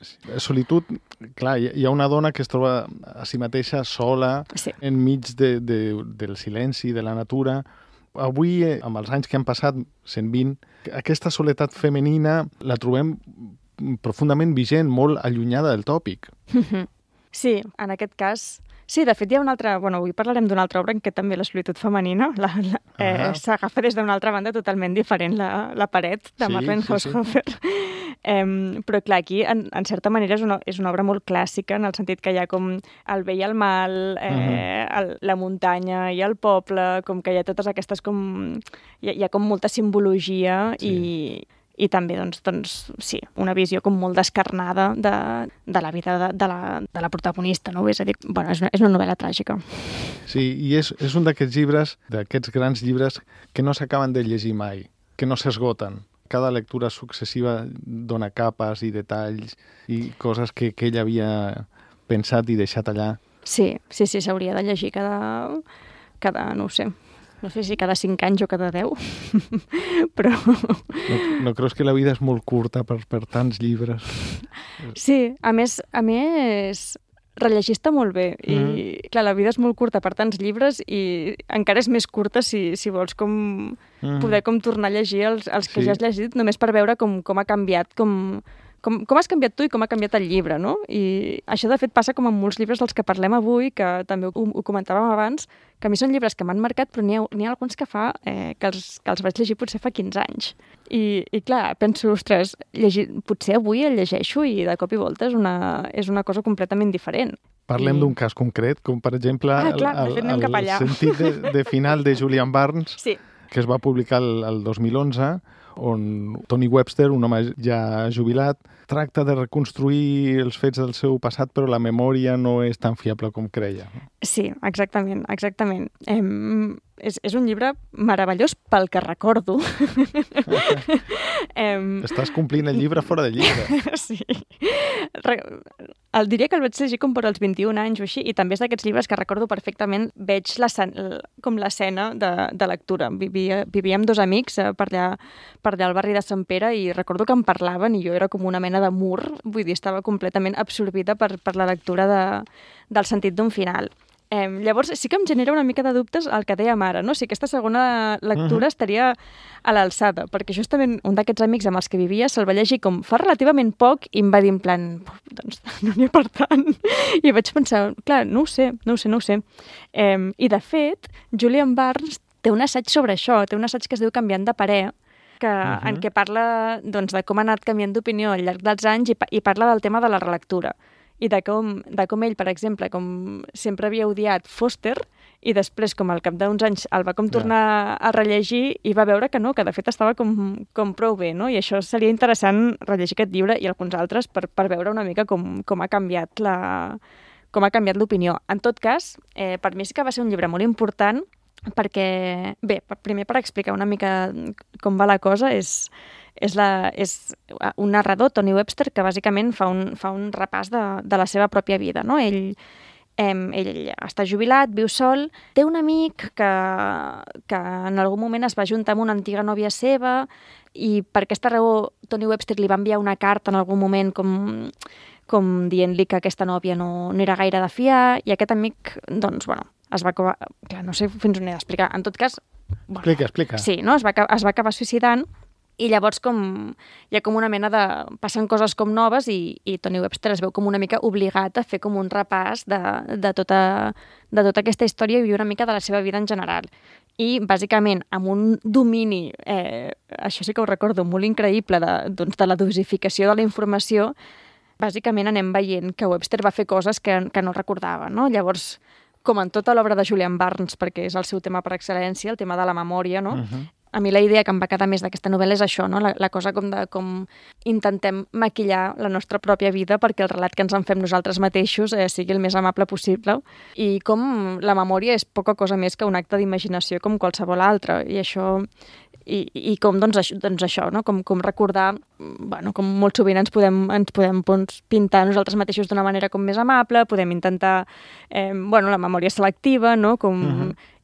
Solitud, clar, hi ha una dona que es troba a si mateixa sola, enmig del silenci, de la natura. Avui, amb els anys que han passat, 120, aquesta soledat femenina la trobem profundament vigent, molt allunyada del tòpic. Sí, en aquest cas... Sí, de fet hi ha una altra... Bueno, avui parlarem d'una altra obra en què també la solitud femenina s'agafa des d'una altra banda totalment diferent, la paret de Marlene Haushofer. Però clar, aquí, en certa manera, és una obra molt clàssica, en el sentit que hi ha com el bé i el mal, la muntanya i el poble, com que hi ha totes aquestes com... Hi ha com molta simbologia i també, doncs, sí, una visió com molt descarnada de la vida de la protagonista, no? És a dir, bueno, és una novel·la tràgica. Sí, i és un d'aquests llibres, d'aquests grans llibres, que no s'acaben de llegir mai, que no s'esgoten. Cada lectura successiva dona capes i detalls i coses que ell havia pensat i deixat allà. Sí, s'hauria de llegir cada no ho sé, no sé si cada 5 anys o cada 10, però... No creus que la vida és molt curta per tants llibres? Sí, a més, rellegir està molt bé. I, clar, la vida és molt curta per tants llibres i encara és més curta si vols com poder com tornar a llegir els que ja has llegit, només per veure com ha canviat, com has canviat tu i com ha canviat el llibre, no? I això, de fet, passa com amb molts llibres dels que parlem avui, que també ho comentàvem abans, que a mi són llibres que m'han marcat, però n'hi ha alguns que que els vaig llegir potser fa 15 anys. I clar, penso, ostres, potser avui el llegeixo i de cop i volta és una cosa completament diferent. Parlem d'un cas concret, com per exemple el sentit de final de Julian Barnes, que es va publicar el 2011, on Tony Webster, un home ja jubilat, tracta de reconstruir els fets del seu passat, però la memòria no és tan fiable com creia. Sí, exactament. És un llibre meravellós pel que recordo. Estàs complint el llibre fora de llibre. Sí. Diria que el vaig llegir com per als 21 anys o així, i també és d'aquests llibres que recordo perfectament, veig com l'escena de lectura. Vivíem 2 amics per allà al barri de Sant Pere i recordo que em parlaven i jo era com una mena de mur, vull dir, estava completament absorbida per la lectura del sentit d'un final. Llavors, sí que em genera una mica de dubtes el que dèiem ara, no? Si aquesta segona lectura estaria a l'alçada, perquè justament un d'aquests amics amb els que vivia se'l va llegir com fa relativament poc i em va dir en plan, doncs no n'hi ha per tant. I vaig pensar, clar, no ho sé. I de fet, Julian Barnes té un assaig sobre això, té un assaig que es diu Canviant de parer, en què parla doncs, de com ha anat canviant d'opinió al llarg dels anys i parla del tema de la relectura. I de com ell, per exemple, com sempre havia odiat Foster, i després, com al cap d'uns anys, el va com tornar a rellegir i va veure que no, que de fet estava com prou bé, no? I això seria interessant rellegir aquest llibre i alguns altres per veure una mica com ha canviat l'opinió. En tot cas, per mi sí que va ser un llibre molt important perquè, bé, primer per explicar una mica com va la cosa, és un narrador, Tony Webster, que bàsicament fa un repàs de la seva pròpia vida, no? Ell està jubilat, viu sol, té un amic que en algun moment es va juntar amb una antiga nòvia seva i per aquesta raó Tony Webster li va enviar una carta en algun moment com dient-li que aquesta nòvia no era gaire de fiar i aquest amic, doncs, bueno, es va acabar... Clar, no sé fins on he d'explicar. En tot cas... Bueno, explica. Sí, no? Es va acabar suïcidant i llavors hi ha com una mena de... Passen coses com noves i Tony Webster es veu com una mica obligat a fer com un repàs de tota aquesta història i una mica de la seva vida en general. I, bàsicament, amb un domini, això sí que ho recordo, molt increïble de la dosificació de la informació, bàsicament anem veient que Webster va fer coses que no recordava, no? Llavors, com en tota l'obra de Julian Barnes, perquè és el seu tema per excel·lència, el tema de la memòria, no? A mi la idea que em va quedar més d'aquesta novel·la és això, no? La cosa com intentem maquillar la nostra pròpia vida perquè el relat que ens en fem nosaltres mateixos sigui el més amable possible i com la memòria és poca cosa més que un acte d'imaginació com qualsevol altre i això... I com, doncs això, no? Com recordar, bueno, com molt sovint ens podem pintar nosaltres mateixos d'una manera com més amable, podem intentar, la memòria selectiva, no?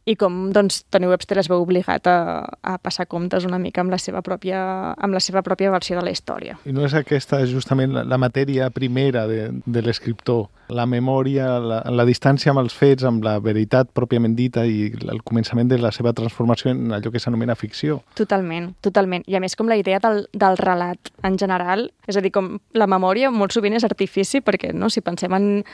I com, doncs, Tony Webster es veu obligat a passar comptes una mica amb la seva pròpia versió de la història. I no és aquesta justament la matèria primera de l'escriptor, la memòria, la distància amb els fets, amb la veritat pròpiament dita i el començament de la seva transformació en allò que s'anomena ficció. Totalment. I a més com la idea del relat en general, és a dir, com la memòria molt sovint és artifici perquè, no, si pensem en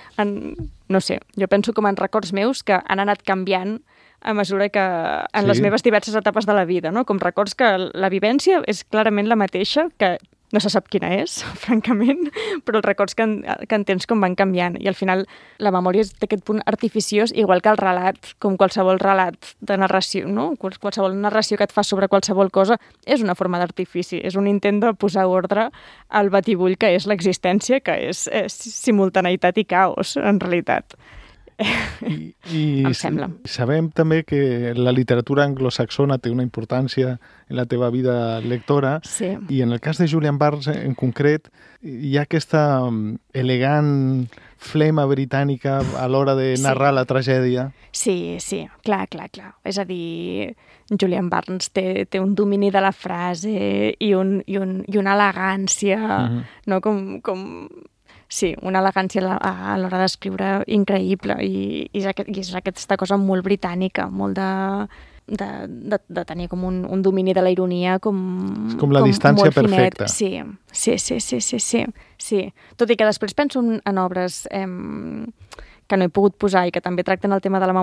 no sé, jo penso com en records meus que han anat canviant a mesura que en les meves diverses etapes de la vida, no? Com records que la vivència és clarament la mateixa, que no se sap quina és, francament, però els records que en tens com van canviant. I al final la memòria té aquest punt artificiós, igual que el relat, com qualsevol relat de narració, no? Qualsevol narració que et fa sobre qualsevol cosa és una forma d'artifici, és un intent de posar ordre al batibull que és l'existència, que és simultaneïtat i caos, en realitat. I em sembla. Sabem també que la literatura anglosaxona té una importància en la teva vida lectora i en el cas de Julian Barnes en concret hi ha aquesta elegant flema britànica a l'hora de narrar la tragèdia. Sí, clar. És a dir, Julian Barnes té un domini de la frase i una elegància, no? Sí, una elegància a l'hora d'escriure increïble i és aquesta cosa molt britànica, molt de tenir com un domini de la ironia és com la distància perfecta. Sí. Tot i que després penso en obres que no he pogut posar i que també tracten el tema de la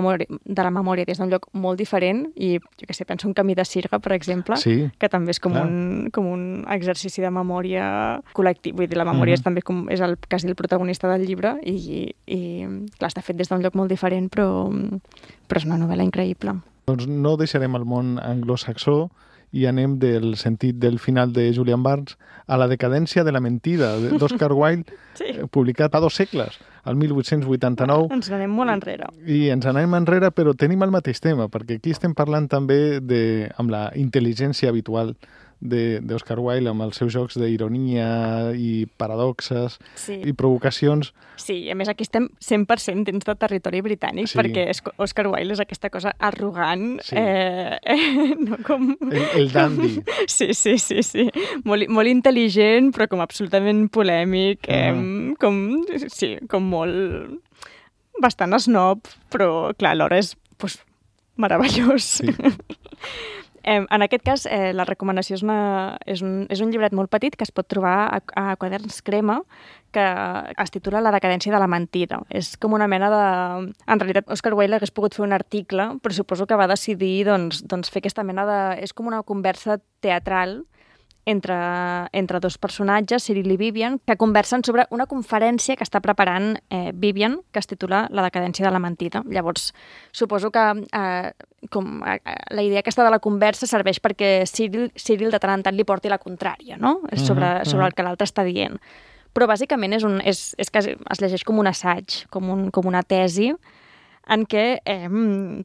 memòria des d'un lloc molt diferent i, jo què sé, penso en Camí de Sirga, per exemple, que també és com un exercici de memòria col·lectiu. Vull dir, la memòria és també és quasi el protagonista del llibre i clar, està fet des d'un lloc molt diferent, però és una novel·la increïble. Doncs no deixarem el món anglosaxó i anem del sentit del final de Julian Barnes a La decadència de la mentida, d'Oscar Wilde, publicat fa 2 segles, el 1889. Ens anem molt enrere. I ens anem enrere, però tenim el mateix tema, perquè aquí estem parlant també amb la intel·ligència habitual d'Oscar Wilde, amb els seus jocs d'ironia i paradoxes i provocacions. Sí, a més aquí estem 100% dins del territori britànic, perquè Oscar Wilde és aquesta cosa arrogant, no com... El dandy. Sí. Molt intel·ligent, però com absolutament polèmic, com molt... bastant snob, però clar, alhora és meravellós. Sí. En aquest cas, la recomanació és un llibret molt petit que es pot trobar a Quaderns Crema, que es titula La decadència de la mentida. És com una mena de... En realitat, Oscar Wilde hagués pogut fer un article, però suposo que va decidir doncs, fer aquesta mena de... És com una conversa teatral entre dos personatges, Cyril i Vivian, que conversen sobre una conferència que està preparant Vivian, que es titula La decadència de la mentida. Llavors, suposo que la idea aquesta de la conversa serveix perquè Cyril de tant en tant li porti la contrària, no? Sobre el que l'altre està dient. Però bàsicament és que es llegeix com un assaig, com una tesi, en què,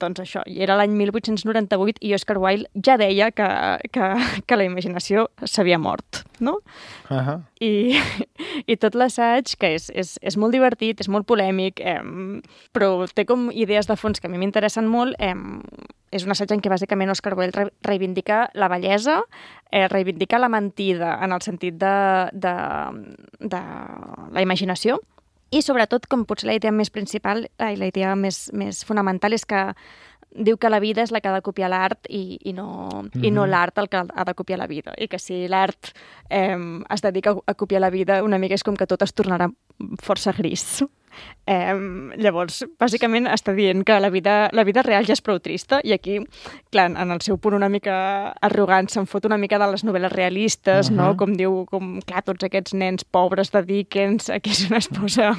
doncs això, i era l'any 1898 i Oscar Wilde ja deia que la imaginació s'havia mort, no? I tot l'assaig, que és molt divertit, és molt polèmic, però té com idees de fons que a mi m'interessen molt. És un assaig en què bàsicament Oscar Wilde reivindica la bellesa, reivindica la mentida en el sentit de la imaginació, i sobretot, com potser la idea més principal i la idea més fonamental és que diu que la vida és la que ha de copiar l'art i no l'art el que ha de copiar la vida. I que si l'art es dedica a copiar la vida, una mica és com que tot es tornarà força gris. Llavors, bàsicament està dient que la vida real ja és prou trista i aquí, clar, en el seu punt una mica arrogant, se'n fot una mica de les novel·les realistes, no? Com diu, clar, tots aquests nens pobres de Dickens, aquí és una esposa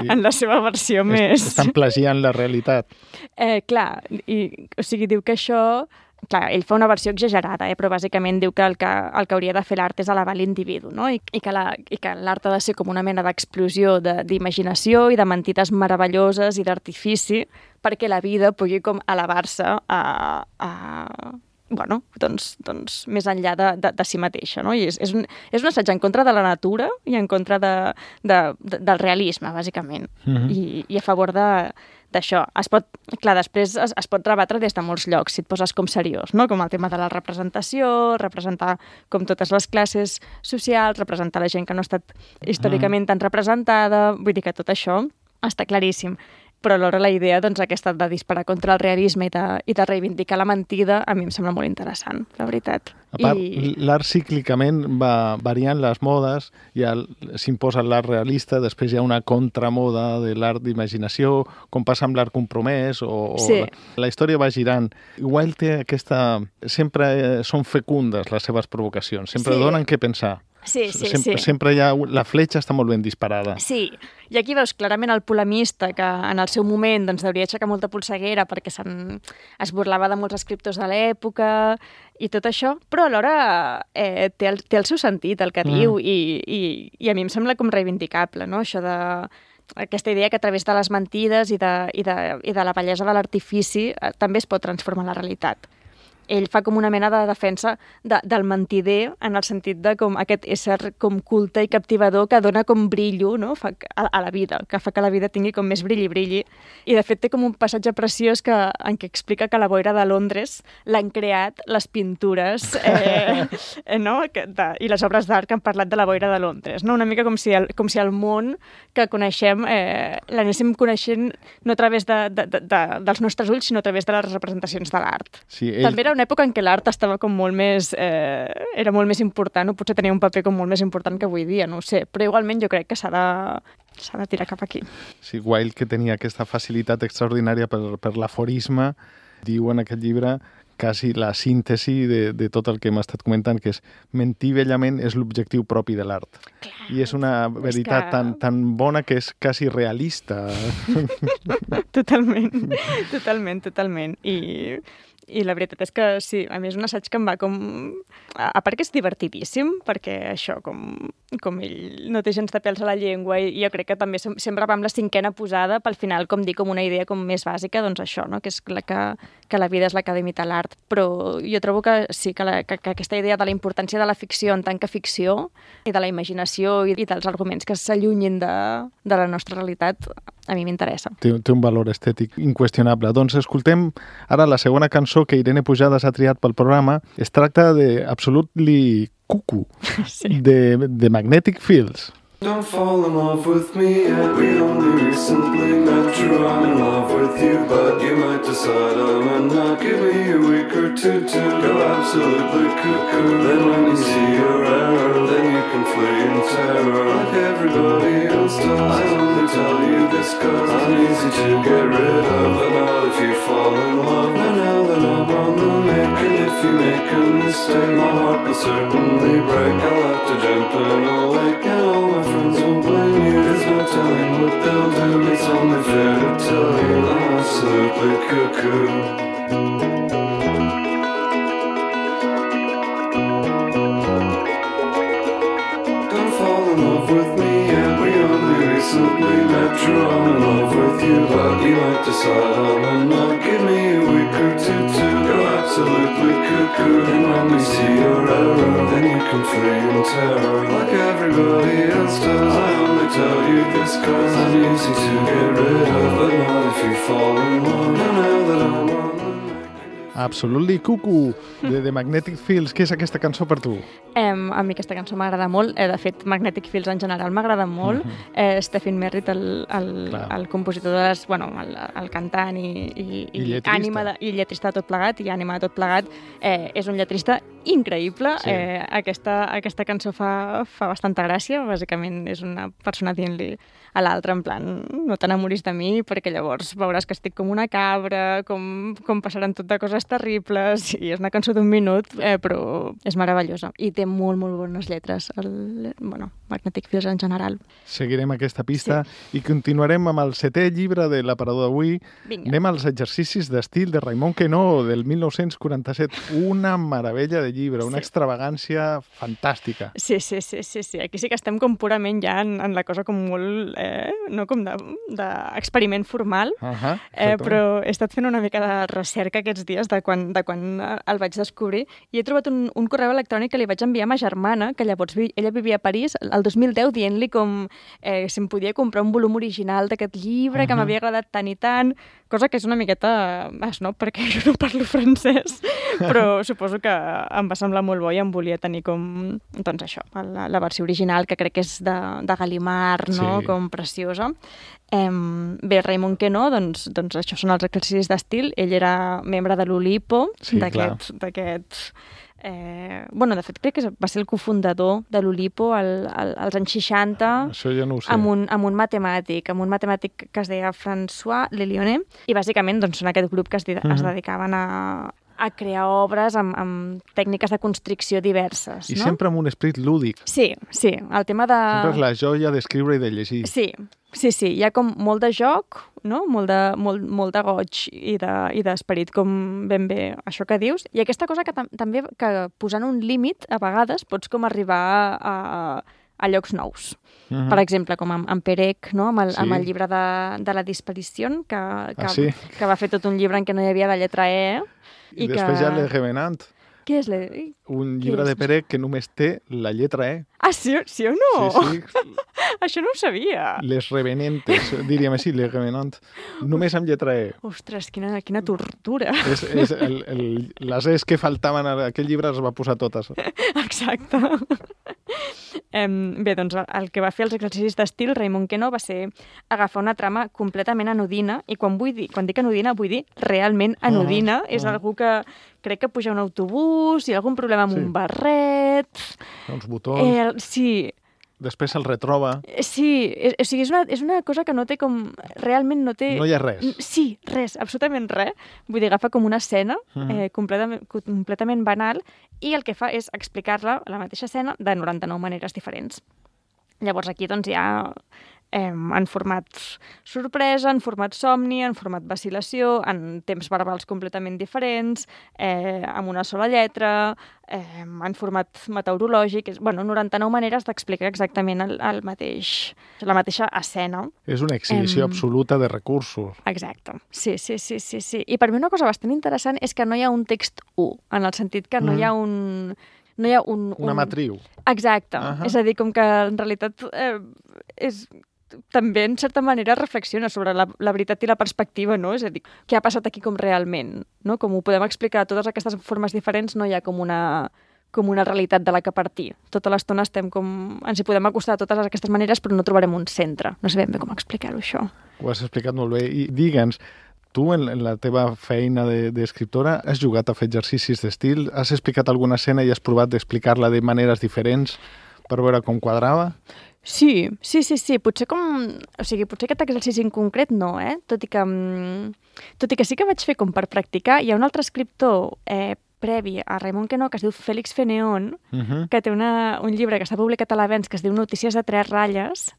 en la seva versió més... Estan plagiant la realitat. Clar, o sigui, diu que això... Clar, ell fa una versió exagerada, però bàsicament diu que el que hauria de fer l'art és elevar l'individu, no? I que l'art ha de ser com una mena d'explosió d'imaginació i de mentides meravelloses i d'artifici perquè la vida pugui com elevar-se bueno, doncs més enllà de si mateixa, no? I és un assaig en contra de la natura i en contra del realisme, bàsicament, i a favor d'això. Clar, després es pot rebatre des de molts llocs, si et poses com seriós, no? Com el tema de la representació, representar com totes les classes socials, representar la gent que no ha estat històricament tan representada, vull dir que tot això està claríssim. Però alhora la idea, doncs, aquesta de disparar contra el realisme i de reivindicar la mentida, a mi em sembla molt interessant, la veritat. A part, l'art cíclicament va variant les modes, ja s'imposa l'art realista, després hi ha una contramoda de l'art d'imaginació, com passa amb l'art compromès, sí. La història va girant. Wilde té aquesta... Sempre són fecundes les seves provocacions, sempre donen què pensar. Sí. Sempre hi ha... La fletxa està molt ben disparada. Sí, i aquí veus clarament el polemista que en el seu moment doncs, hauria aixecar molta polseguera perquè es burlava de molts escriptors de l'època i tot això, però alhora té el seu sentit, el que diu, i a mi em sembla com reivindicable, no? Això aquesta idea que a través de les mentides i de la bellesa de l'artifici també es pot transformar la realitat. Ell fa com una mena de defensa del mentider en el sentit de com aquest ésser com culte i captivador que dona com brillo, no? A la vida, que fa que la vida tingui com més brilli. I de fet té com un passatge preciós en què explica que la boira de Londres l'han creat les pintures no? I les obres d'art que han parlat de la boira de Londres. No? Una mica com si el món que coneixem l'anéssim coneixent no a través dels nostres ulls, sinó a través de les representacions de l'art. Sí, També era una època en què l'art estava com molt més... era molt més important, o potser tenia un paper com molt més important que avui dia, no ho sé. Però igualment jo crec que s'ha de tirar cap aquí. Sí, Wilde, que tenia aquesta facilitat extraordinària per l'aforisme, diu en aquest llibre quasi la síntesi de tot el que hem estat comentant, que és mentir bellament és l'objectiu propi de l'art. I és una veritat tan bona que és quasi realista. Totalment. I la veritat és que sí, a mi és un assaig que em va com... A part que és divertidíssim, perquè això, com ell no té gens de pèls a la llengua, i jo crec que també sempre va amb la cinquena posada, pel final, com dir, com una idea com més bàsica, doncs això, no? Que és que la vida és la que ha d'imitar l'art. Però jo trobo que sí, que aquesta idea de la importància de la ficció en tant que ficció, i de la imaginació i dels arguments que s'allunyin de la nostra realitat, a mi m'interessa. Té un valor estètic inqüestionable. Doncs escoltem ara la segona cançó que Irene Pujades ha triat pel programa. Es tracta de Absolutely Cuckoo, de Magnetic Fields. Don't fall in love with me yet. We only recently met. True, I'm in love with you, but you might decide I'm not. Give me a week or two to go absolutely cuckoo. Then when you see your error, then you can flee in terror like everybody else does. I only tell you this cause I'm easy to get rid of, but not if you fall in love. Now that I'm on the make, and if you make a mistake, my heart will certainly break. I'll have to jump in a lake, and all my friends will blame you. There's no telling what they'll do. It's only fair to tell you I'm absolutely cuckoo. Don't fall in love with me yet. We only recently met. True, I'm in love with you, but you might decide I'm not. Give me a week or two to go absolutely cuckoo. And when we see your error, then you can flee in terror like everybody else does. I only tell you this cause I'm easy to get rid of, but not if you fall in love. Now that I'm on the Absolutely Cuckoo, de The Magnetic Fields. Què és aquesta cançó per tu? A mi aquesta cançó m'agrada molt. De fet, Magnetic Fields en general m'agrada molt. Stephen Merritt, el compositor de les... Bueno, el cantant i lletrista. I lletrista de tot plegat, i ànima de tot plegat. És un lletrista increïble. Sí. Aquesta cançó fa bastanta gràcia. Bàsicament és una persona dient-li a l'altre, en plan, no t'enamoris de mi, perquè llavors veuràs que estic com una cabra, com passaran tot de coses terribles, i és una cançó d'1 minut, però és meravellosa. I té molt, molt bones lletres, Magnetic Fields en general. Seguirem aquesta pista i continuarem amb el 7è llibre de l'aparador d'avui. Vinga. Anem als exercicis d'estil de Raimon Queneau, del 1947. Una meravella de llibre, una extravagància fantàstica. Sí. Aquí sí que estem com purament ja en la cosa com molt, no com d'experiment formal, però he estat fent una mica de recerca aquests dies de quan el vaig descobrir, i he trobat un correu electrònic que li vaig enviar a ma germana, que llavors ella vivia a París, el 2010, dient-li com si em podia comprar un volum original d'aquest llibre, que m'havia agradat tant i tant, cosa que és una miqueta snob, perquè jo no parlo francès, però suposo que em va semblar molt bo i em volia tenir com, doncs això, la versió original, que crec que és de Gallimard, no? Com preciosa. Bé, Raimon Queneau, doncs això són els exercicis d'estil. Ell era membre de l'Oulipo, d'aquest... de fet, crec que va ser el cofundador de l'Oulipo als anys 60. Això ja no ho sé. Amb un matemàtic que es deia François Lelionet, i bàsicament doncs, són aquest grup que es dedicaven a crear obres amb tècniques de constricció diverses. I sempre amb un esperit lúdic. Sí, el tema de... Sempre és la joia d'escriure i de llegir. Sí, hi ha com molt de joc, no? Molt de goig i d'esperit, com ben bé això que dius. I aquesta cosa que també, que posant un límit, a vegades pots com arribar a llocs nous. Per exemple, com amb Perec, no? amb el llibre de la disparició, que va fer tot un llibre en què no hi havia la lletra E. I després hi ha Le Revenant. Què és un llibre de Perec que només té la lletra E. Ah, sí o no? Sí. Això no ho sabia. Les Revenentes, diríem així, Les Revenant. Només amb lletra E. Ostres, quina tortura. Les E's que faltaven a aquell llibre les va posar totes. Exacte. Bé, doncs el que va fer els exercicis d'estil Raimon Queneau va ser agafar una trama completament anodina, i quan dic anodina vull dir realment anodina. És algú que crec que puja un autobús, hi ha algun problema amb un barret... Uns botons... Sí. Després se'l retroba. Sí, o sigui, és una cosa que no té com... Realment no té... No hi ha res. Sí, res, absolutament res. Vull dir, agafa com una escena completament banal, i el que fa és explicar-la, la mateixa escena, de 99 maneres diferents. Llavors aquí doncs hi ha en format sorpresa, en format somni, en format vacil·lació, en temps verbals completament diferents, amb una sola lletra, en format meteorològic. 99 maneres d'explicar exactament la mateixa escena. És una exhibició absoluta de recursos. Exacte. Sí. I per mi una cosa bastant interessant és que no hi ha un text 1, en el sentit que no hi ha una matriu. Exacte. És a dir, com que en realitat també, en certa manera, reflexiona sobre la veritat i la perspectiva, no? És a dir, què ha passat aquí com realment, no? Com ho podem explicar de totes aquestes formes diferents, no hi ha com una com una realitat de la que partir. Tota l'estona ens hi podem acostar de totes aquestes maneres, però no trobarem un centre. No sé ben bé com explicar-ho, això. Ho has explicat molt bé. I digue'ns, tu en la teva feina d'escriptora has jugat a fer exercicis d'estil? Has explicat alguna escena i has provat d'explicar-la de maneres diferents per veure com quadrava? Sí. Potser aquest exercici en concret no, Tot i que sí que vaig fer com per practicar. Hi ha un altre escriptor previ a Raimon Queneau, que es diu Félix Feneón, que té un llibre que s'ha publicat a l'Avenç que es diu Notícies de 3 ratlles,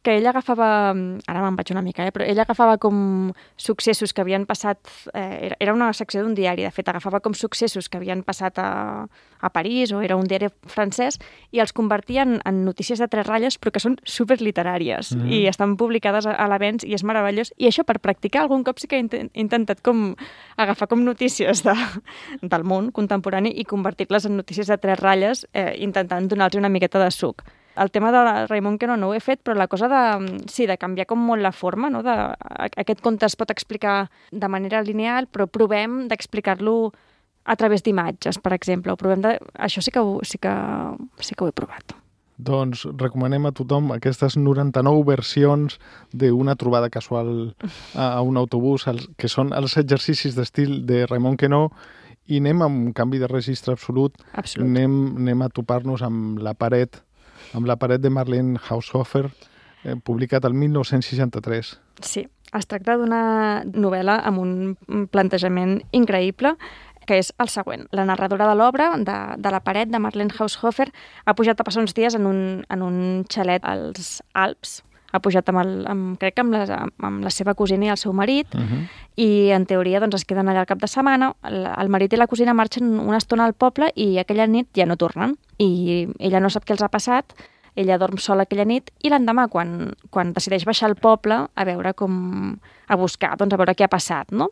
que ell agafava, ara me'n vaig una mica, però ell agafava com successos que havien passat, era una secció d'un diari, de fet, agafava com successos que havien passat a París, o era un diari francès, i els convertia en notícies de 3 ratlles, però que són superliteràries, i estan publicades a l'Avenç, i és meravellós. I això, per practicar, algun cop sí que he intentat com agafar com notícies del món contemporani i convertir-les en notícies de 3 ratlles, intentant donar-los una miqueta de suc. El tema de Raimon Queneau no ho he fet, però la cosa de canviar com molt la forma, no? Aquest conte es pot explicar de manera lineal, però provem d'explicar-lo a través d'imatges, per exemple. Això sí que ho he provat. Doncs recomanem a tothom aquestes 99 versions d'una trobada casual a un autobús, que són els exercicis d'estil de Raimon Queneau, i anem amb un canvi de registre absolut. Anem a topar-nos amb la paret de Marlene Haushofer, publicat el 1963. Sí, es tracta d'una novel·la amb un plantejament increïble, que és el següent. La narradora de l'obra, de la paret, de Marlene Haushofer, ha pujat a passar uns dies en un xalet als Alps. Ha pujat crec que amb la seva cosina i el seu marit, i en teoria es queden allà al cap de setmana. El marit i la cosina marxen una estona al poble i aquella nit ja no tornen. I ella no sap què els ha passat, ella dorm sola aquella nit, i l'endemà, quan decideix baixar al poble a buscar, a veure què ha passat, no?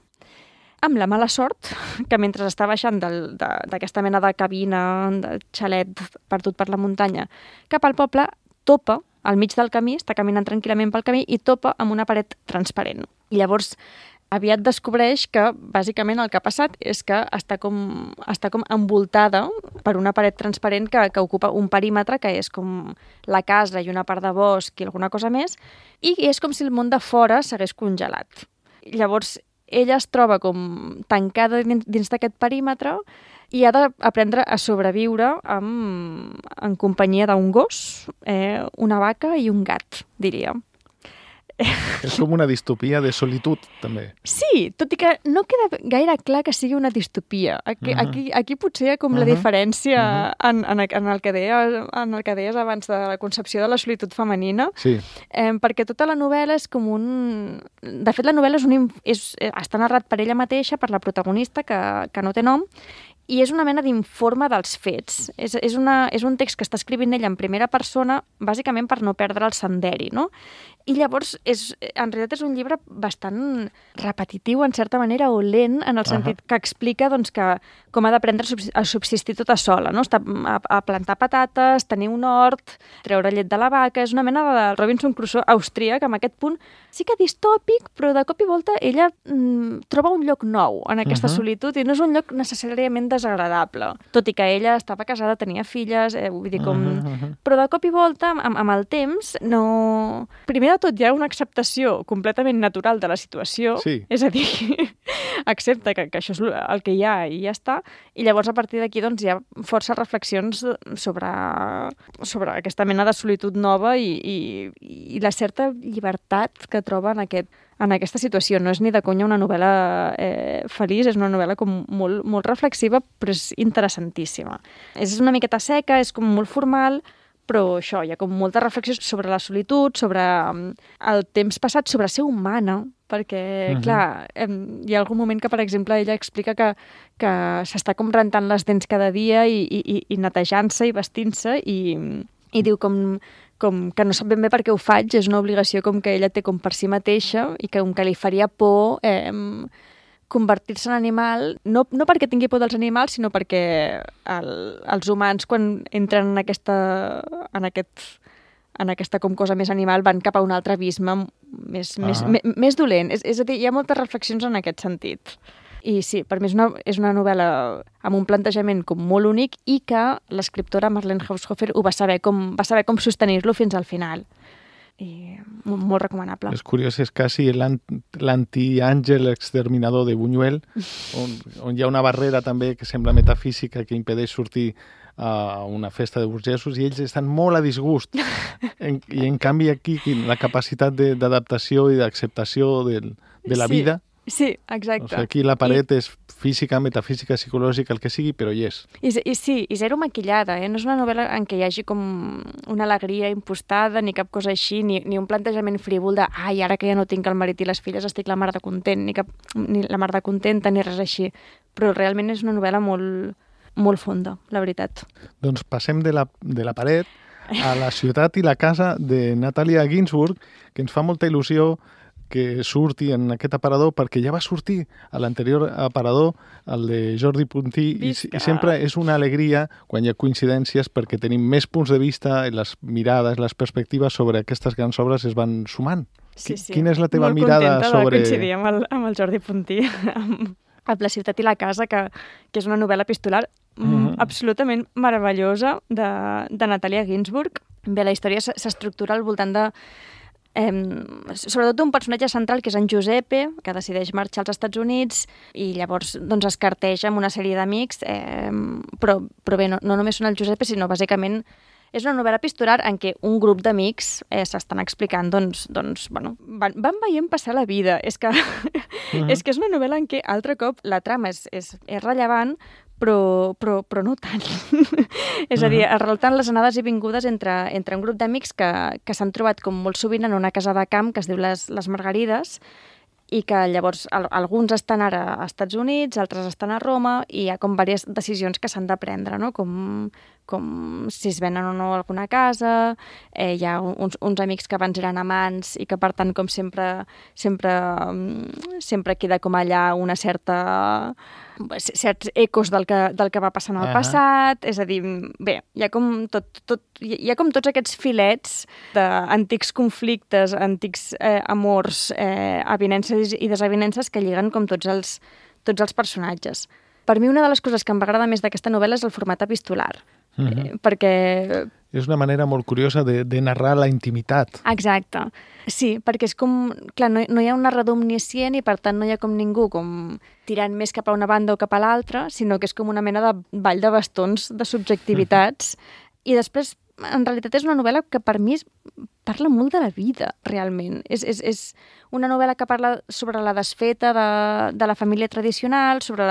Amb la mala sort que mentre està baixant d'aquesta mena de cabina, de xalet perdut per la muntanya, cap al poble, topa al mig del camí, està caminant tranquil·lament pel camí i topa amb una paret transparent. I llavors aviat descobreix que, bàsicament, el que ha passat és que està com envoltada per una paret transparent que ocupa un perímetre que és com la casa i una part de bosc i alguna cosa més, i és com si el món de fora s'hagués congelat. Llavors, ella es troba com tancada dins d'aquest perímetre i ha d'aprendre a sobreviure en companyia d'un gos, una vaca i un gat, diria. És com una distopia de solitud, també. Sí, tot i que no queda gaire clar que sigui una distopia. Aquí potser hi ha com la diferència en el que deies abans de la concepció de la solitud femenina, perquè tota la novel·la és com De fet, la novel·la està narrat per ella mateixa, per la protagonista, que no té nom, i és una mena d'informe dels fets. És un text que està escrivint ella en primera persona, bàsicament per no perdre el senderi, no? I llavors, en realitat és un llibre bastant repetitiu, en certa manera, o lent, en el sentit que explica com ha d'aprendre a subsistir tota sola, no? A plantar patates, tenir un hort, treure llet de la vaca. És una mena de Robinson Crusoe austríac, amb aquest punt sí que distòpic, però de cop i volta ella troba un lloc nou en aquesta solitud, i no és un lloc necessàriament desagradable. Tot i que ella estava casada, tenia filles, vull dir Però de cop i volta, amb el temps, no... Primer de tot, hi ha una acceptació completament natural de la situació, és a dir, accepta que això és el que hi ha i ja està, i llavors a partir d'aquí hi ha força reflexions sobre aquesta mena de solitud nova i la certa llibertat que troba en aquesta situació. No és ni de conya una novel·la feliç, és una novel·la com molt reflexiva, però és interessantíssima. És una miqueta seca, és com molt formal, però això, hi ha com molta reflexió sobre la solitud, sobre el temps passat, sobre ser humana, perquè, clar, hi ha algun moment que, per exemple, ella explica que s'està com rentant les dents cada dia i netejant-se i vestint-se, i diu com que no sap ben bé per què ho faig, és una obligació com que ella té com per si mateixa i que li faria por convertir-se en animal, no perquè tingui por dels animals, sinó perquè els humans, quan entren en aquesta com cosa més animal, van cap a un altre abisme més dolent. És a dir, hi ha moltes reflexions en aquest sentit. I sí, per mi és una novel·la amb un plantejament com molt únic i que l'escriptora Marlene Haushofer va saber com sostenir-lo fins al final. I molt recomanable. És curiós, és quasi l'anti-àngel exterminador de Buñuel, on hi ha una barrera també que sembla metafísica que impedeix sortir a una festa de burgesos i ells estan molt a disgust. I en canvi aquí la capacitat d'adaptació i d'acceptació de la vida. Sí, exacte. O sigui, aquí la paret és física, metafísica, psicològica, el que sigui, però hi és. I zero maquillada, No és una novel·la en què hi hagi com una alegria impostada, ni cap cosa així, ni un plantejament frívol de ai, ara que ja no tinc el marit i les filles estic la mar de content, ni la mar de contenta, ni res així. Però realment és una novel·la molt fonda, la veritat. Doncs passem de la paret a la ciutat i la casa de Natalia Ginzburg, que ens fa molta il·lusió que surti en aquest aparador, perquè ja va sortir a l'anterior aparador, el de Jordi Puntí, i sempre és una alegria quan hi ha coincidències perquè tenim més punts de vista i les mirades, les perspectives sobre aquestes grans obres es van sumant. Sí. Quina és la teva mirada sobre... Molt contenta de coincidir amb el Jordi Puntí, amb La ciutat i la casa, que és una novel·la epistolar absolutament meravellosa de Natalia Ginzburg. Bé, la història s'estructura al voltant de sobretot un personatge central que és en Giuseppe, que decideix marxar als Estats Units i llavors doncs, es carteja amb una sèrie d'amics, però bé, no només són el Giuseppe, sinó bàsicament és una novel·la epistolar en què un grup d'amics s'estan explicant, bueno, van veient passar la vida. És que és una novel·la en què altre cop la trama és rellevant, però no tant. És a dir, es relaten les anades i vingudes entre un grup d'amics que s'han trobat com molt sovint en una casa de camp que es diu les Margarides i que llavors alguns estan ara als Estats Units, altres estan a Roma i hi ha com diverses decisions que s'han de prendre, no? Com si es venen o no alguna casa, hi ha uns amics que abans eren amants i que per tant com sempre queda com allà una certs ecos del que va passar en el passat, és a dir, bé, hi ha com tots aquests filets d'antics conflictes, antics amors, avinences i desavinences que lliguen com tots els personatges. Per mi una de les coses que em va agradar més d'aquesta novel·la és el format epistolar, perquè... És una manera molt curiosa de narrar la intimitat. Exacte. Sí, perquè és com... Clar, no hi ha un narrador omniscient i per tant no hi ha com ningú com tirant més cap a una banda o cap a l'altra, sinó que és com una mena de ball de bastons, de subjectivitats. I després, en realitat, és una novel·la que per mi parla molt de la vida, realment. És una novel·la que parla sobre la desfeta de la família tradicional, sobre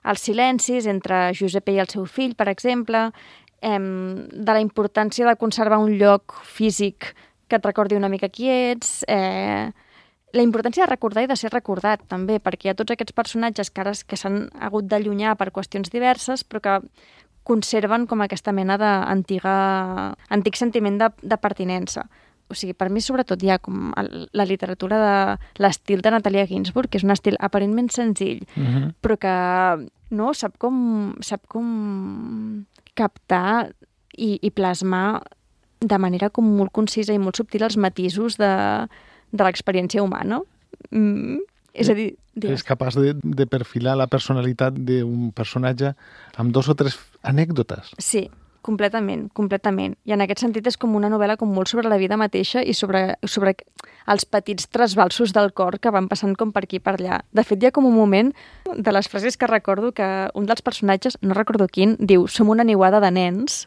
els silencis entre Giuseppe i el seu fill, per exemple, de la importància de conservar un lloc físic que et recordi una mica qui ets, la importància de recordar i de ser recordat, també, perquè hi ha tots aquests personatges que s'han hagut d'allunyar per qüestions diverses, però que conserven com aquesta mena d'antic sentiment de pertinença. O sigui, per mi, sobretot, hi ha com la literatura de l'estil de Natalia Ginzburg, que és un estil aparentment senzill, però que no sap com captar i plasmar de manera com molt concisa i molt subtil els matisos de l'experiència humana. És a dir... És capaç de perfilar la personalitat d'un personatge amb 2 o 3 anècdotes. Sí, completament. I en aquest sentit és com una novel·la com molt sobre la vida mateixa i sobre els petits trasbalsos del cor que van passant com per aquí i per allà. De fet, hi ha com un moment de les frases que recordo que un dels personatges, no recordo quin, diu «Som una niuada de nens».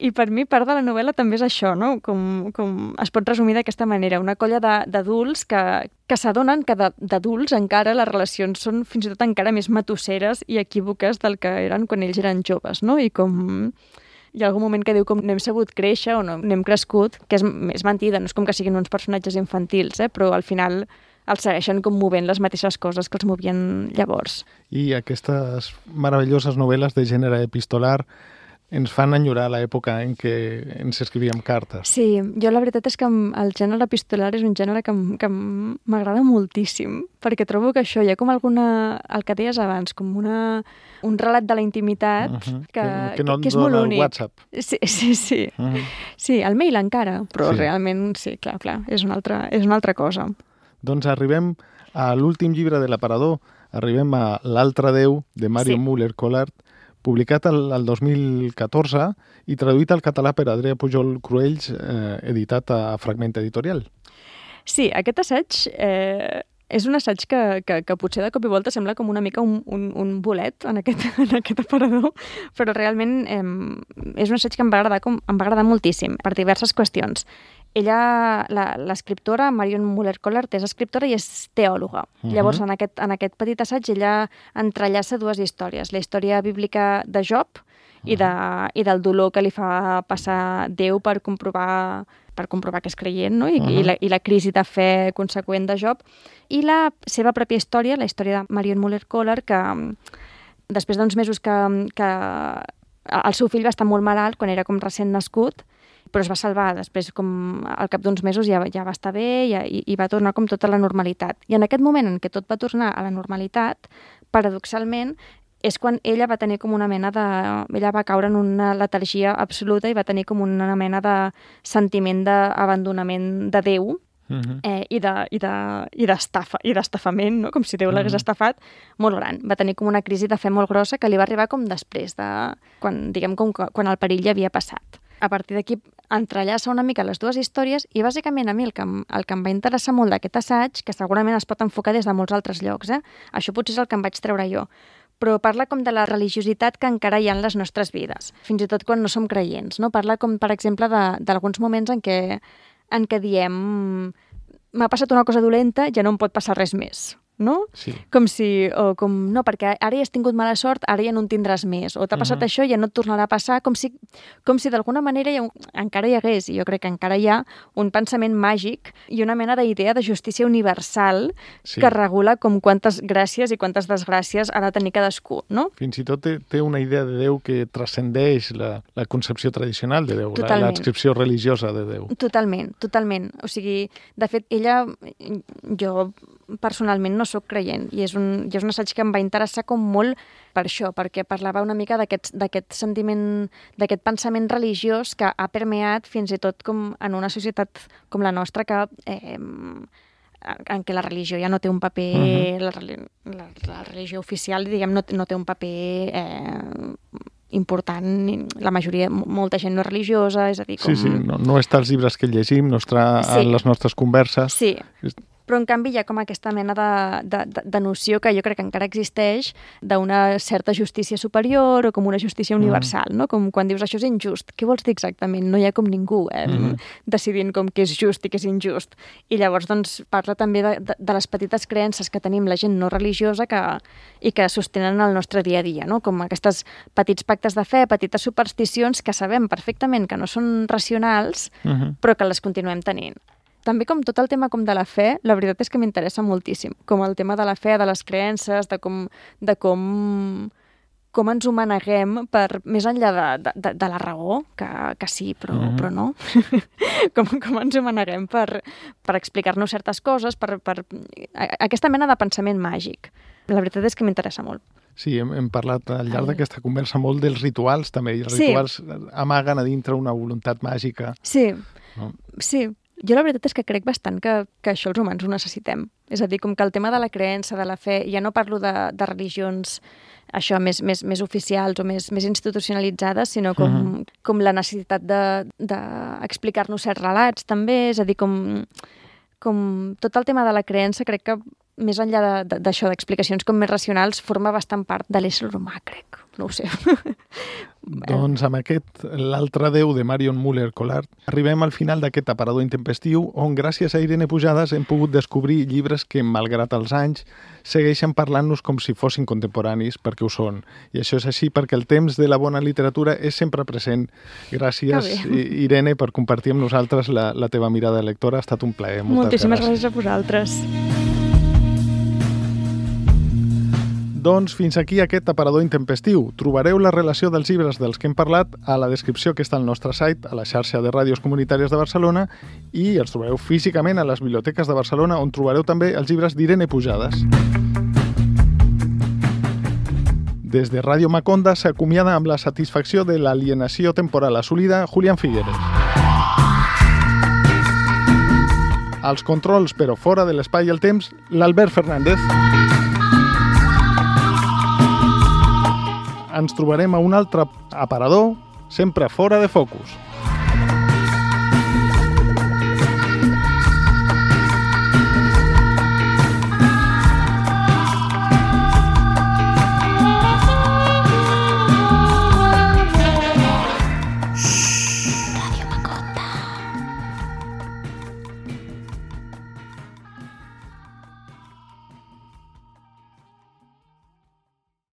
I per mi part de la novel·la també és això, no? Com es pot resumir d'aquesta manera. Una colla d'adults que s'adonen que d'adults encara les relacions són fins i tot encara més matusseres i equívoques del que eren quan ells eren joves, no? I com... Hi ha algun moment que diu com no hem sabut créixer o no hem crescut, que és mentida, no és com que siguin uns personatges infantils, però al final els segueixen com movent les mateixes coses que els movien llavors. I aquestes meravelloses novel·les de gènere epistolar ens fan enyorar l'època en què ens escrivíem cartes. Sí, jo la veritat és que el gènere epistolar és un gènere que m'agrada moltíssim, perquè trobo que això hi ha com el que deies abans, com un relat de la intimitat que és molt únic. WhatsApp. Sí. Sí, el mail encara, però realment, sí, clar, és una altra cosa. Doncs arribem a l'últim llibre de l'aparador, arribem a L'altre Déu, de Marion Sí. Müller-Collard, publicat el 2014 i traduït al català per Adrià Pujol Cruells, editat a Fragment Editorial. Sí, aquest assaig és un assaig que potser de cop i volta sembla com una mica un bolet en aquest aparador, però realment és un assaig que em va agradar moltíssim per diverses qüestions. Ella, l'escriptora, Marion Müller-Collard, és escriptora i és teòloga. Llavors, en aquest petit assaig, ella entrellaça dues històries. La història bíblica de Job i del dolor que li fa passar Déu per comprovar que és creient, no? I la crisi de fe conseqüent de Job. I la seva pròpia història, la història de Marion Müller-Collard, que després d'uns mesos que el seu fill va estar molt malalt quan era com recent nascut, però es va salvar. Després, com al cap d'uns mesos, ja va estar bé i va tornar com tota la normalitat. I en aquest moment en què tot va tornar a la normalitat, paradoxalment, és quan ella va tenir com una mena de... Ella va caure en una letargia absoluta i va tenir com una mena de sentiment d'abandonament de Déu i d'estafament, no? Com si Déu l'hagués estafat, molt gran. Va tenir com una crisi de fe molt grossa que li va arribar com després de... quan el perill ja havia passat. A partir d'aquí entrellaça una mica les dues històries i bàsicament a mi el que em va interessar molt d'aquest assaig, que segurament es pot enfocar des de molts altres llocs, això potser és el que em vaig treure jo, però parla com de la religiositat que encara hi ha en les nostres vides, fins i tot quan no som creients, no? Parla com, per exemple, d'alguns moments en què diem m'ha passat una cosa dolenta, ja no em pot passar res més, no? Sí. No, perquè ara ja has tingut mala sort, ara ja no en tindràs més, o t'ha passat això, ja no et tornarà a passar, com si d'alguna manera encara hi hagués, i jo crec que encara hi ha un pensament màgic i una mena d'idea de justícia universal que regula com quantes gràcies i quantes desgràcies ha de tenir cadascú, no? Fins i tot té una idea de Déu que transcendeix la concepció tradicional de Déu, l'adscripció religiosa de Déu. Totalment. O sigui, de fet, jo personalment no sóc creient i és un assaig que em va interessar com molt per això, perquè parlava una mica d'aquest sentiment, d'aquest pensament religiós que ha permeat fins i tot com en una societat com la nostra que en què la religió ja no té un paper, la religió oficial, diguem, no té un paper important, la majoria, molta gent no és religiosa, és a dir, com... Sí, no està als llibres que llegim, no està en les nostres converses. Sí, però en canvi hi ha com aquesta mena de noció que jo crec que encara existeix d'una certa justícia superior o com una justícia universal, no? Com quan dius això és injust, què vols dir exactament? No hi ha com ningú decidint com què és just i què és injust. I llavors doncs parla també de les petites creences que tenim la gent no religiosa i que sostenen el nostre dia a dia, no? Com aquests petits pactes de fe, petites supersticions que sabem perfectament que no són racionals, però que les continuem tenint. També com tot el tema com de la fe, la veritat és que m'interessa moltíssim. Com el tema de la fe, de les creences, de com ens ho maneguem més enllà de la raó, que sí, però no. com ens ho maneguem per explicar-nos certes coses, per aquesta mena de pensament màgic. La veritat és que m'interessa molt. Sí, hem parlat al llarg d'aquesta conversa molt dels rituals, també, i els rituals amaguen a dintre una voluntat màgica. Sí, sí. Jo la veritat és que crec bastant que això els humans ho necessitem. És a dir, com que el tema de la creença, de la fe, ja no parlo de religions això més oficials o més institucionalitzades, sinó com la necessitat d'explicar-nos certs relats també, és a dir, com tot el tema de la creença crec que més enllà d'això, d'explicacions com més racionals, forma bastant part de l'ésser humà, crec. No ho sé. Doncs amb aquest L'altre Déu de Marion Müller-Collard arribem al final d'aquest aparador intempestiu on gràcies a Irene Pujades hem pogut descobrir llibres que, malgrat els anys, segueixen parlant-nos com si fossin contemporanis, perquè ho són. I això és així perquè el temps de la bona literatura és sempre present. Gràcies, Irene, per compartir amb nosaltres la teva mirada de lectora. Ha estat un plaer. Moltíssimes gràcies a vosaltres. Doncs fins aquí aquest aparador intempestiu. Trobareu la relació dels llibres dels que hem parlat a la descripció que està al nostre site, a la xarxa de ràdios comunitàries de Barcelona, i els trobareu físicament a les biblioteques de Barcelona, on trobareu també els llibres d'Irene Pujades. Des de Ràdio Maconda s'acomiada amb la satisfacció de l'alienació temporal assolida Julián Figueres. Als controls, però fora de l'espai i el temps, l'Albert Fernández. ens trobarem a un altre aparador, sempre fora de focus.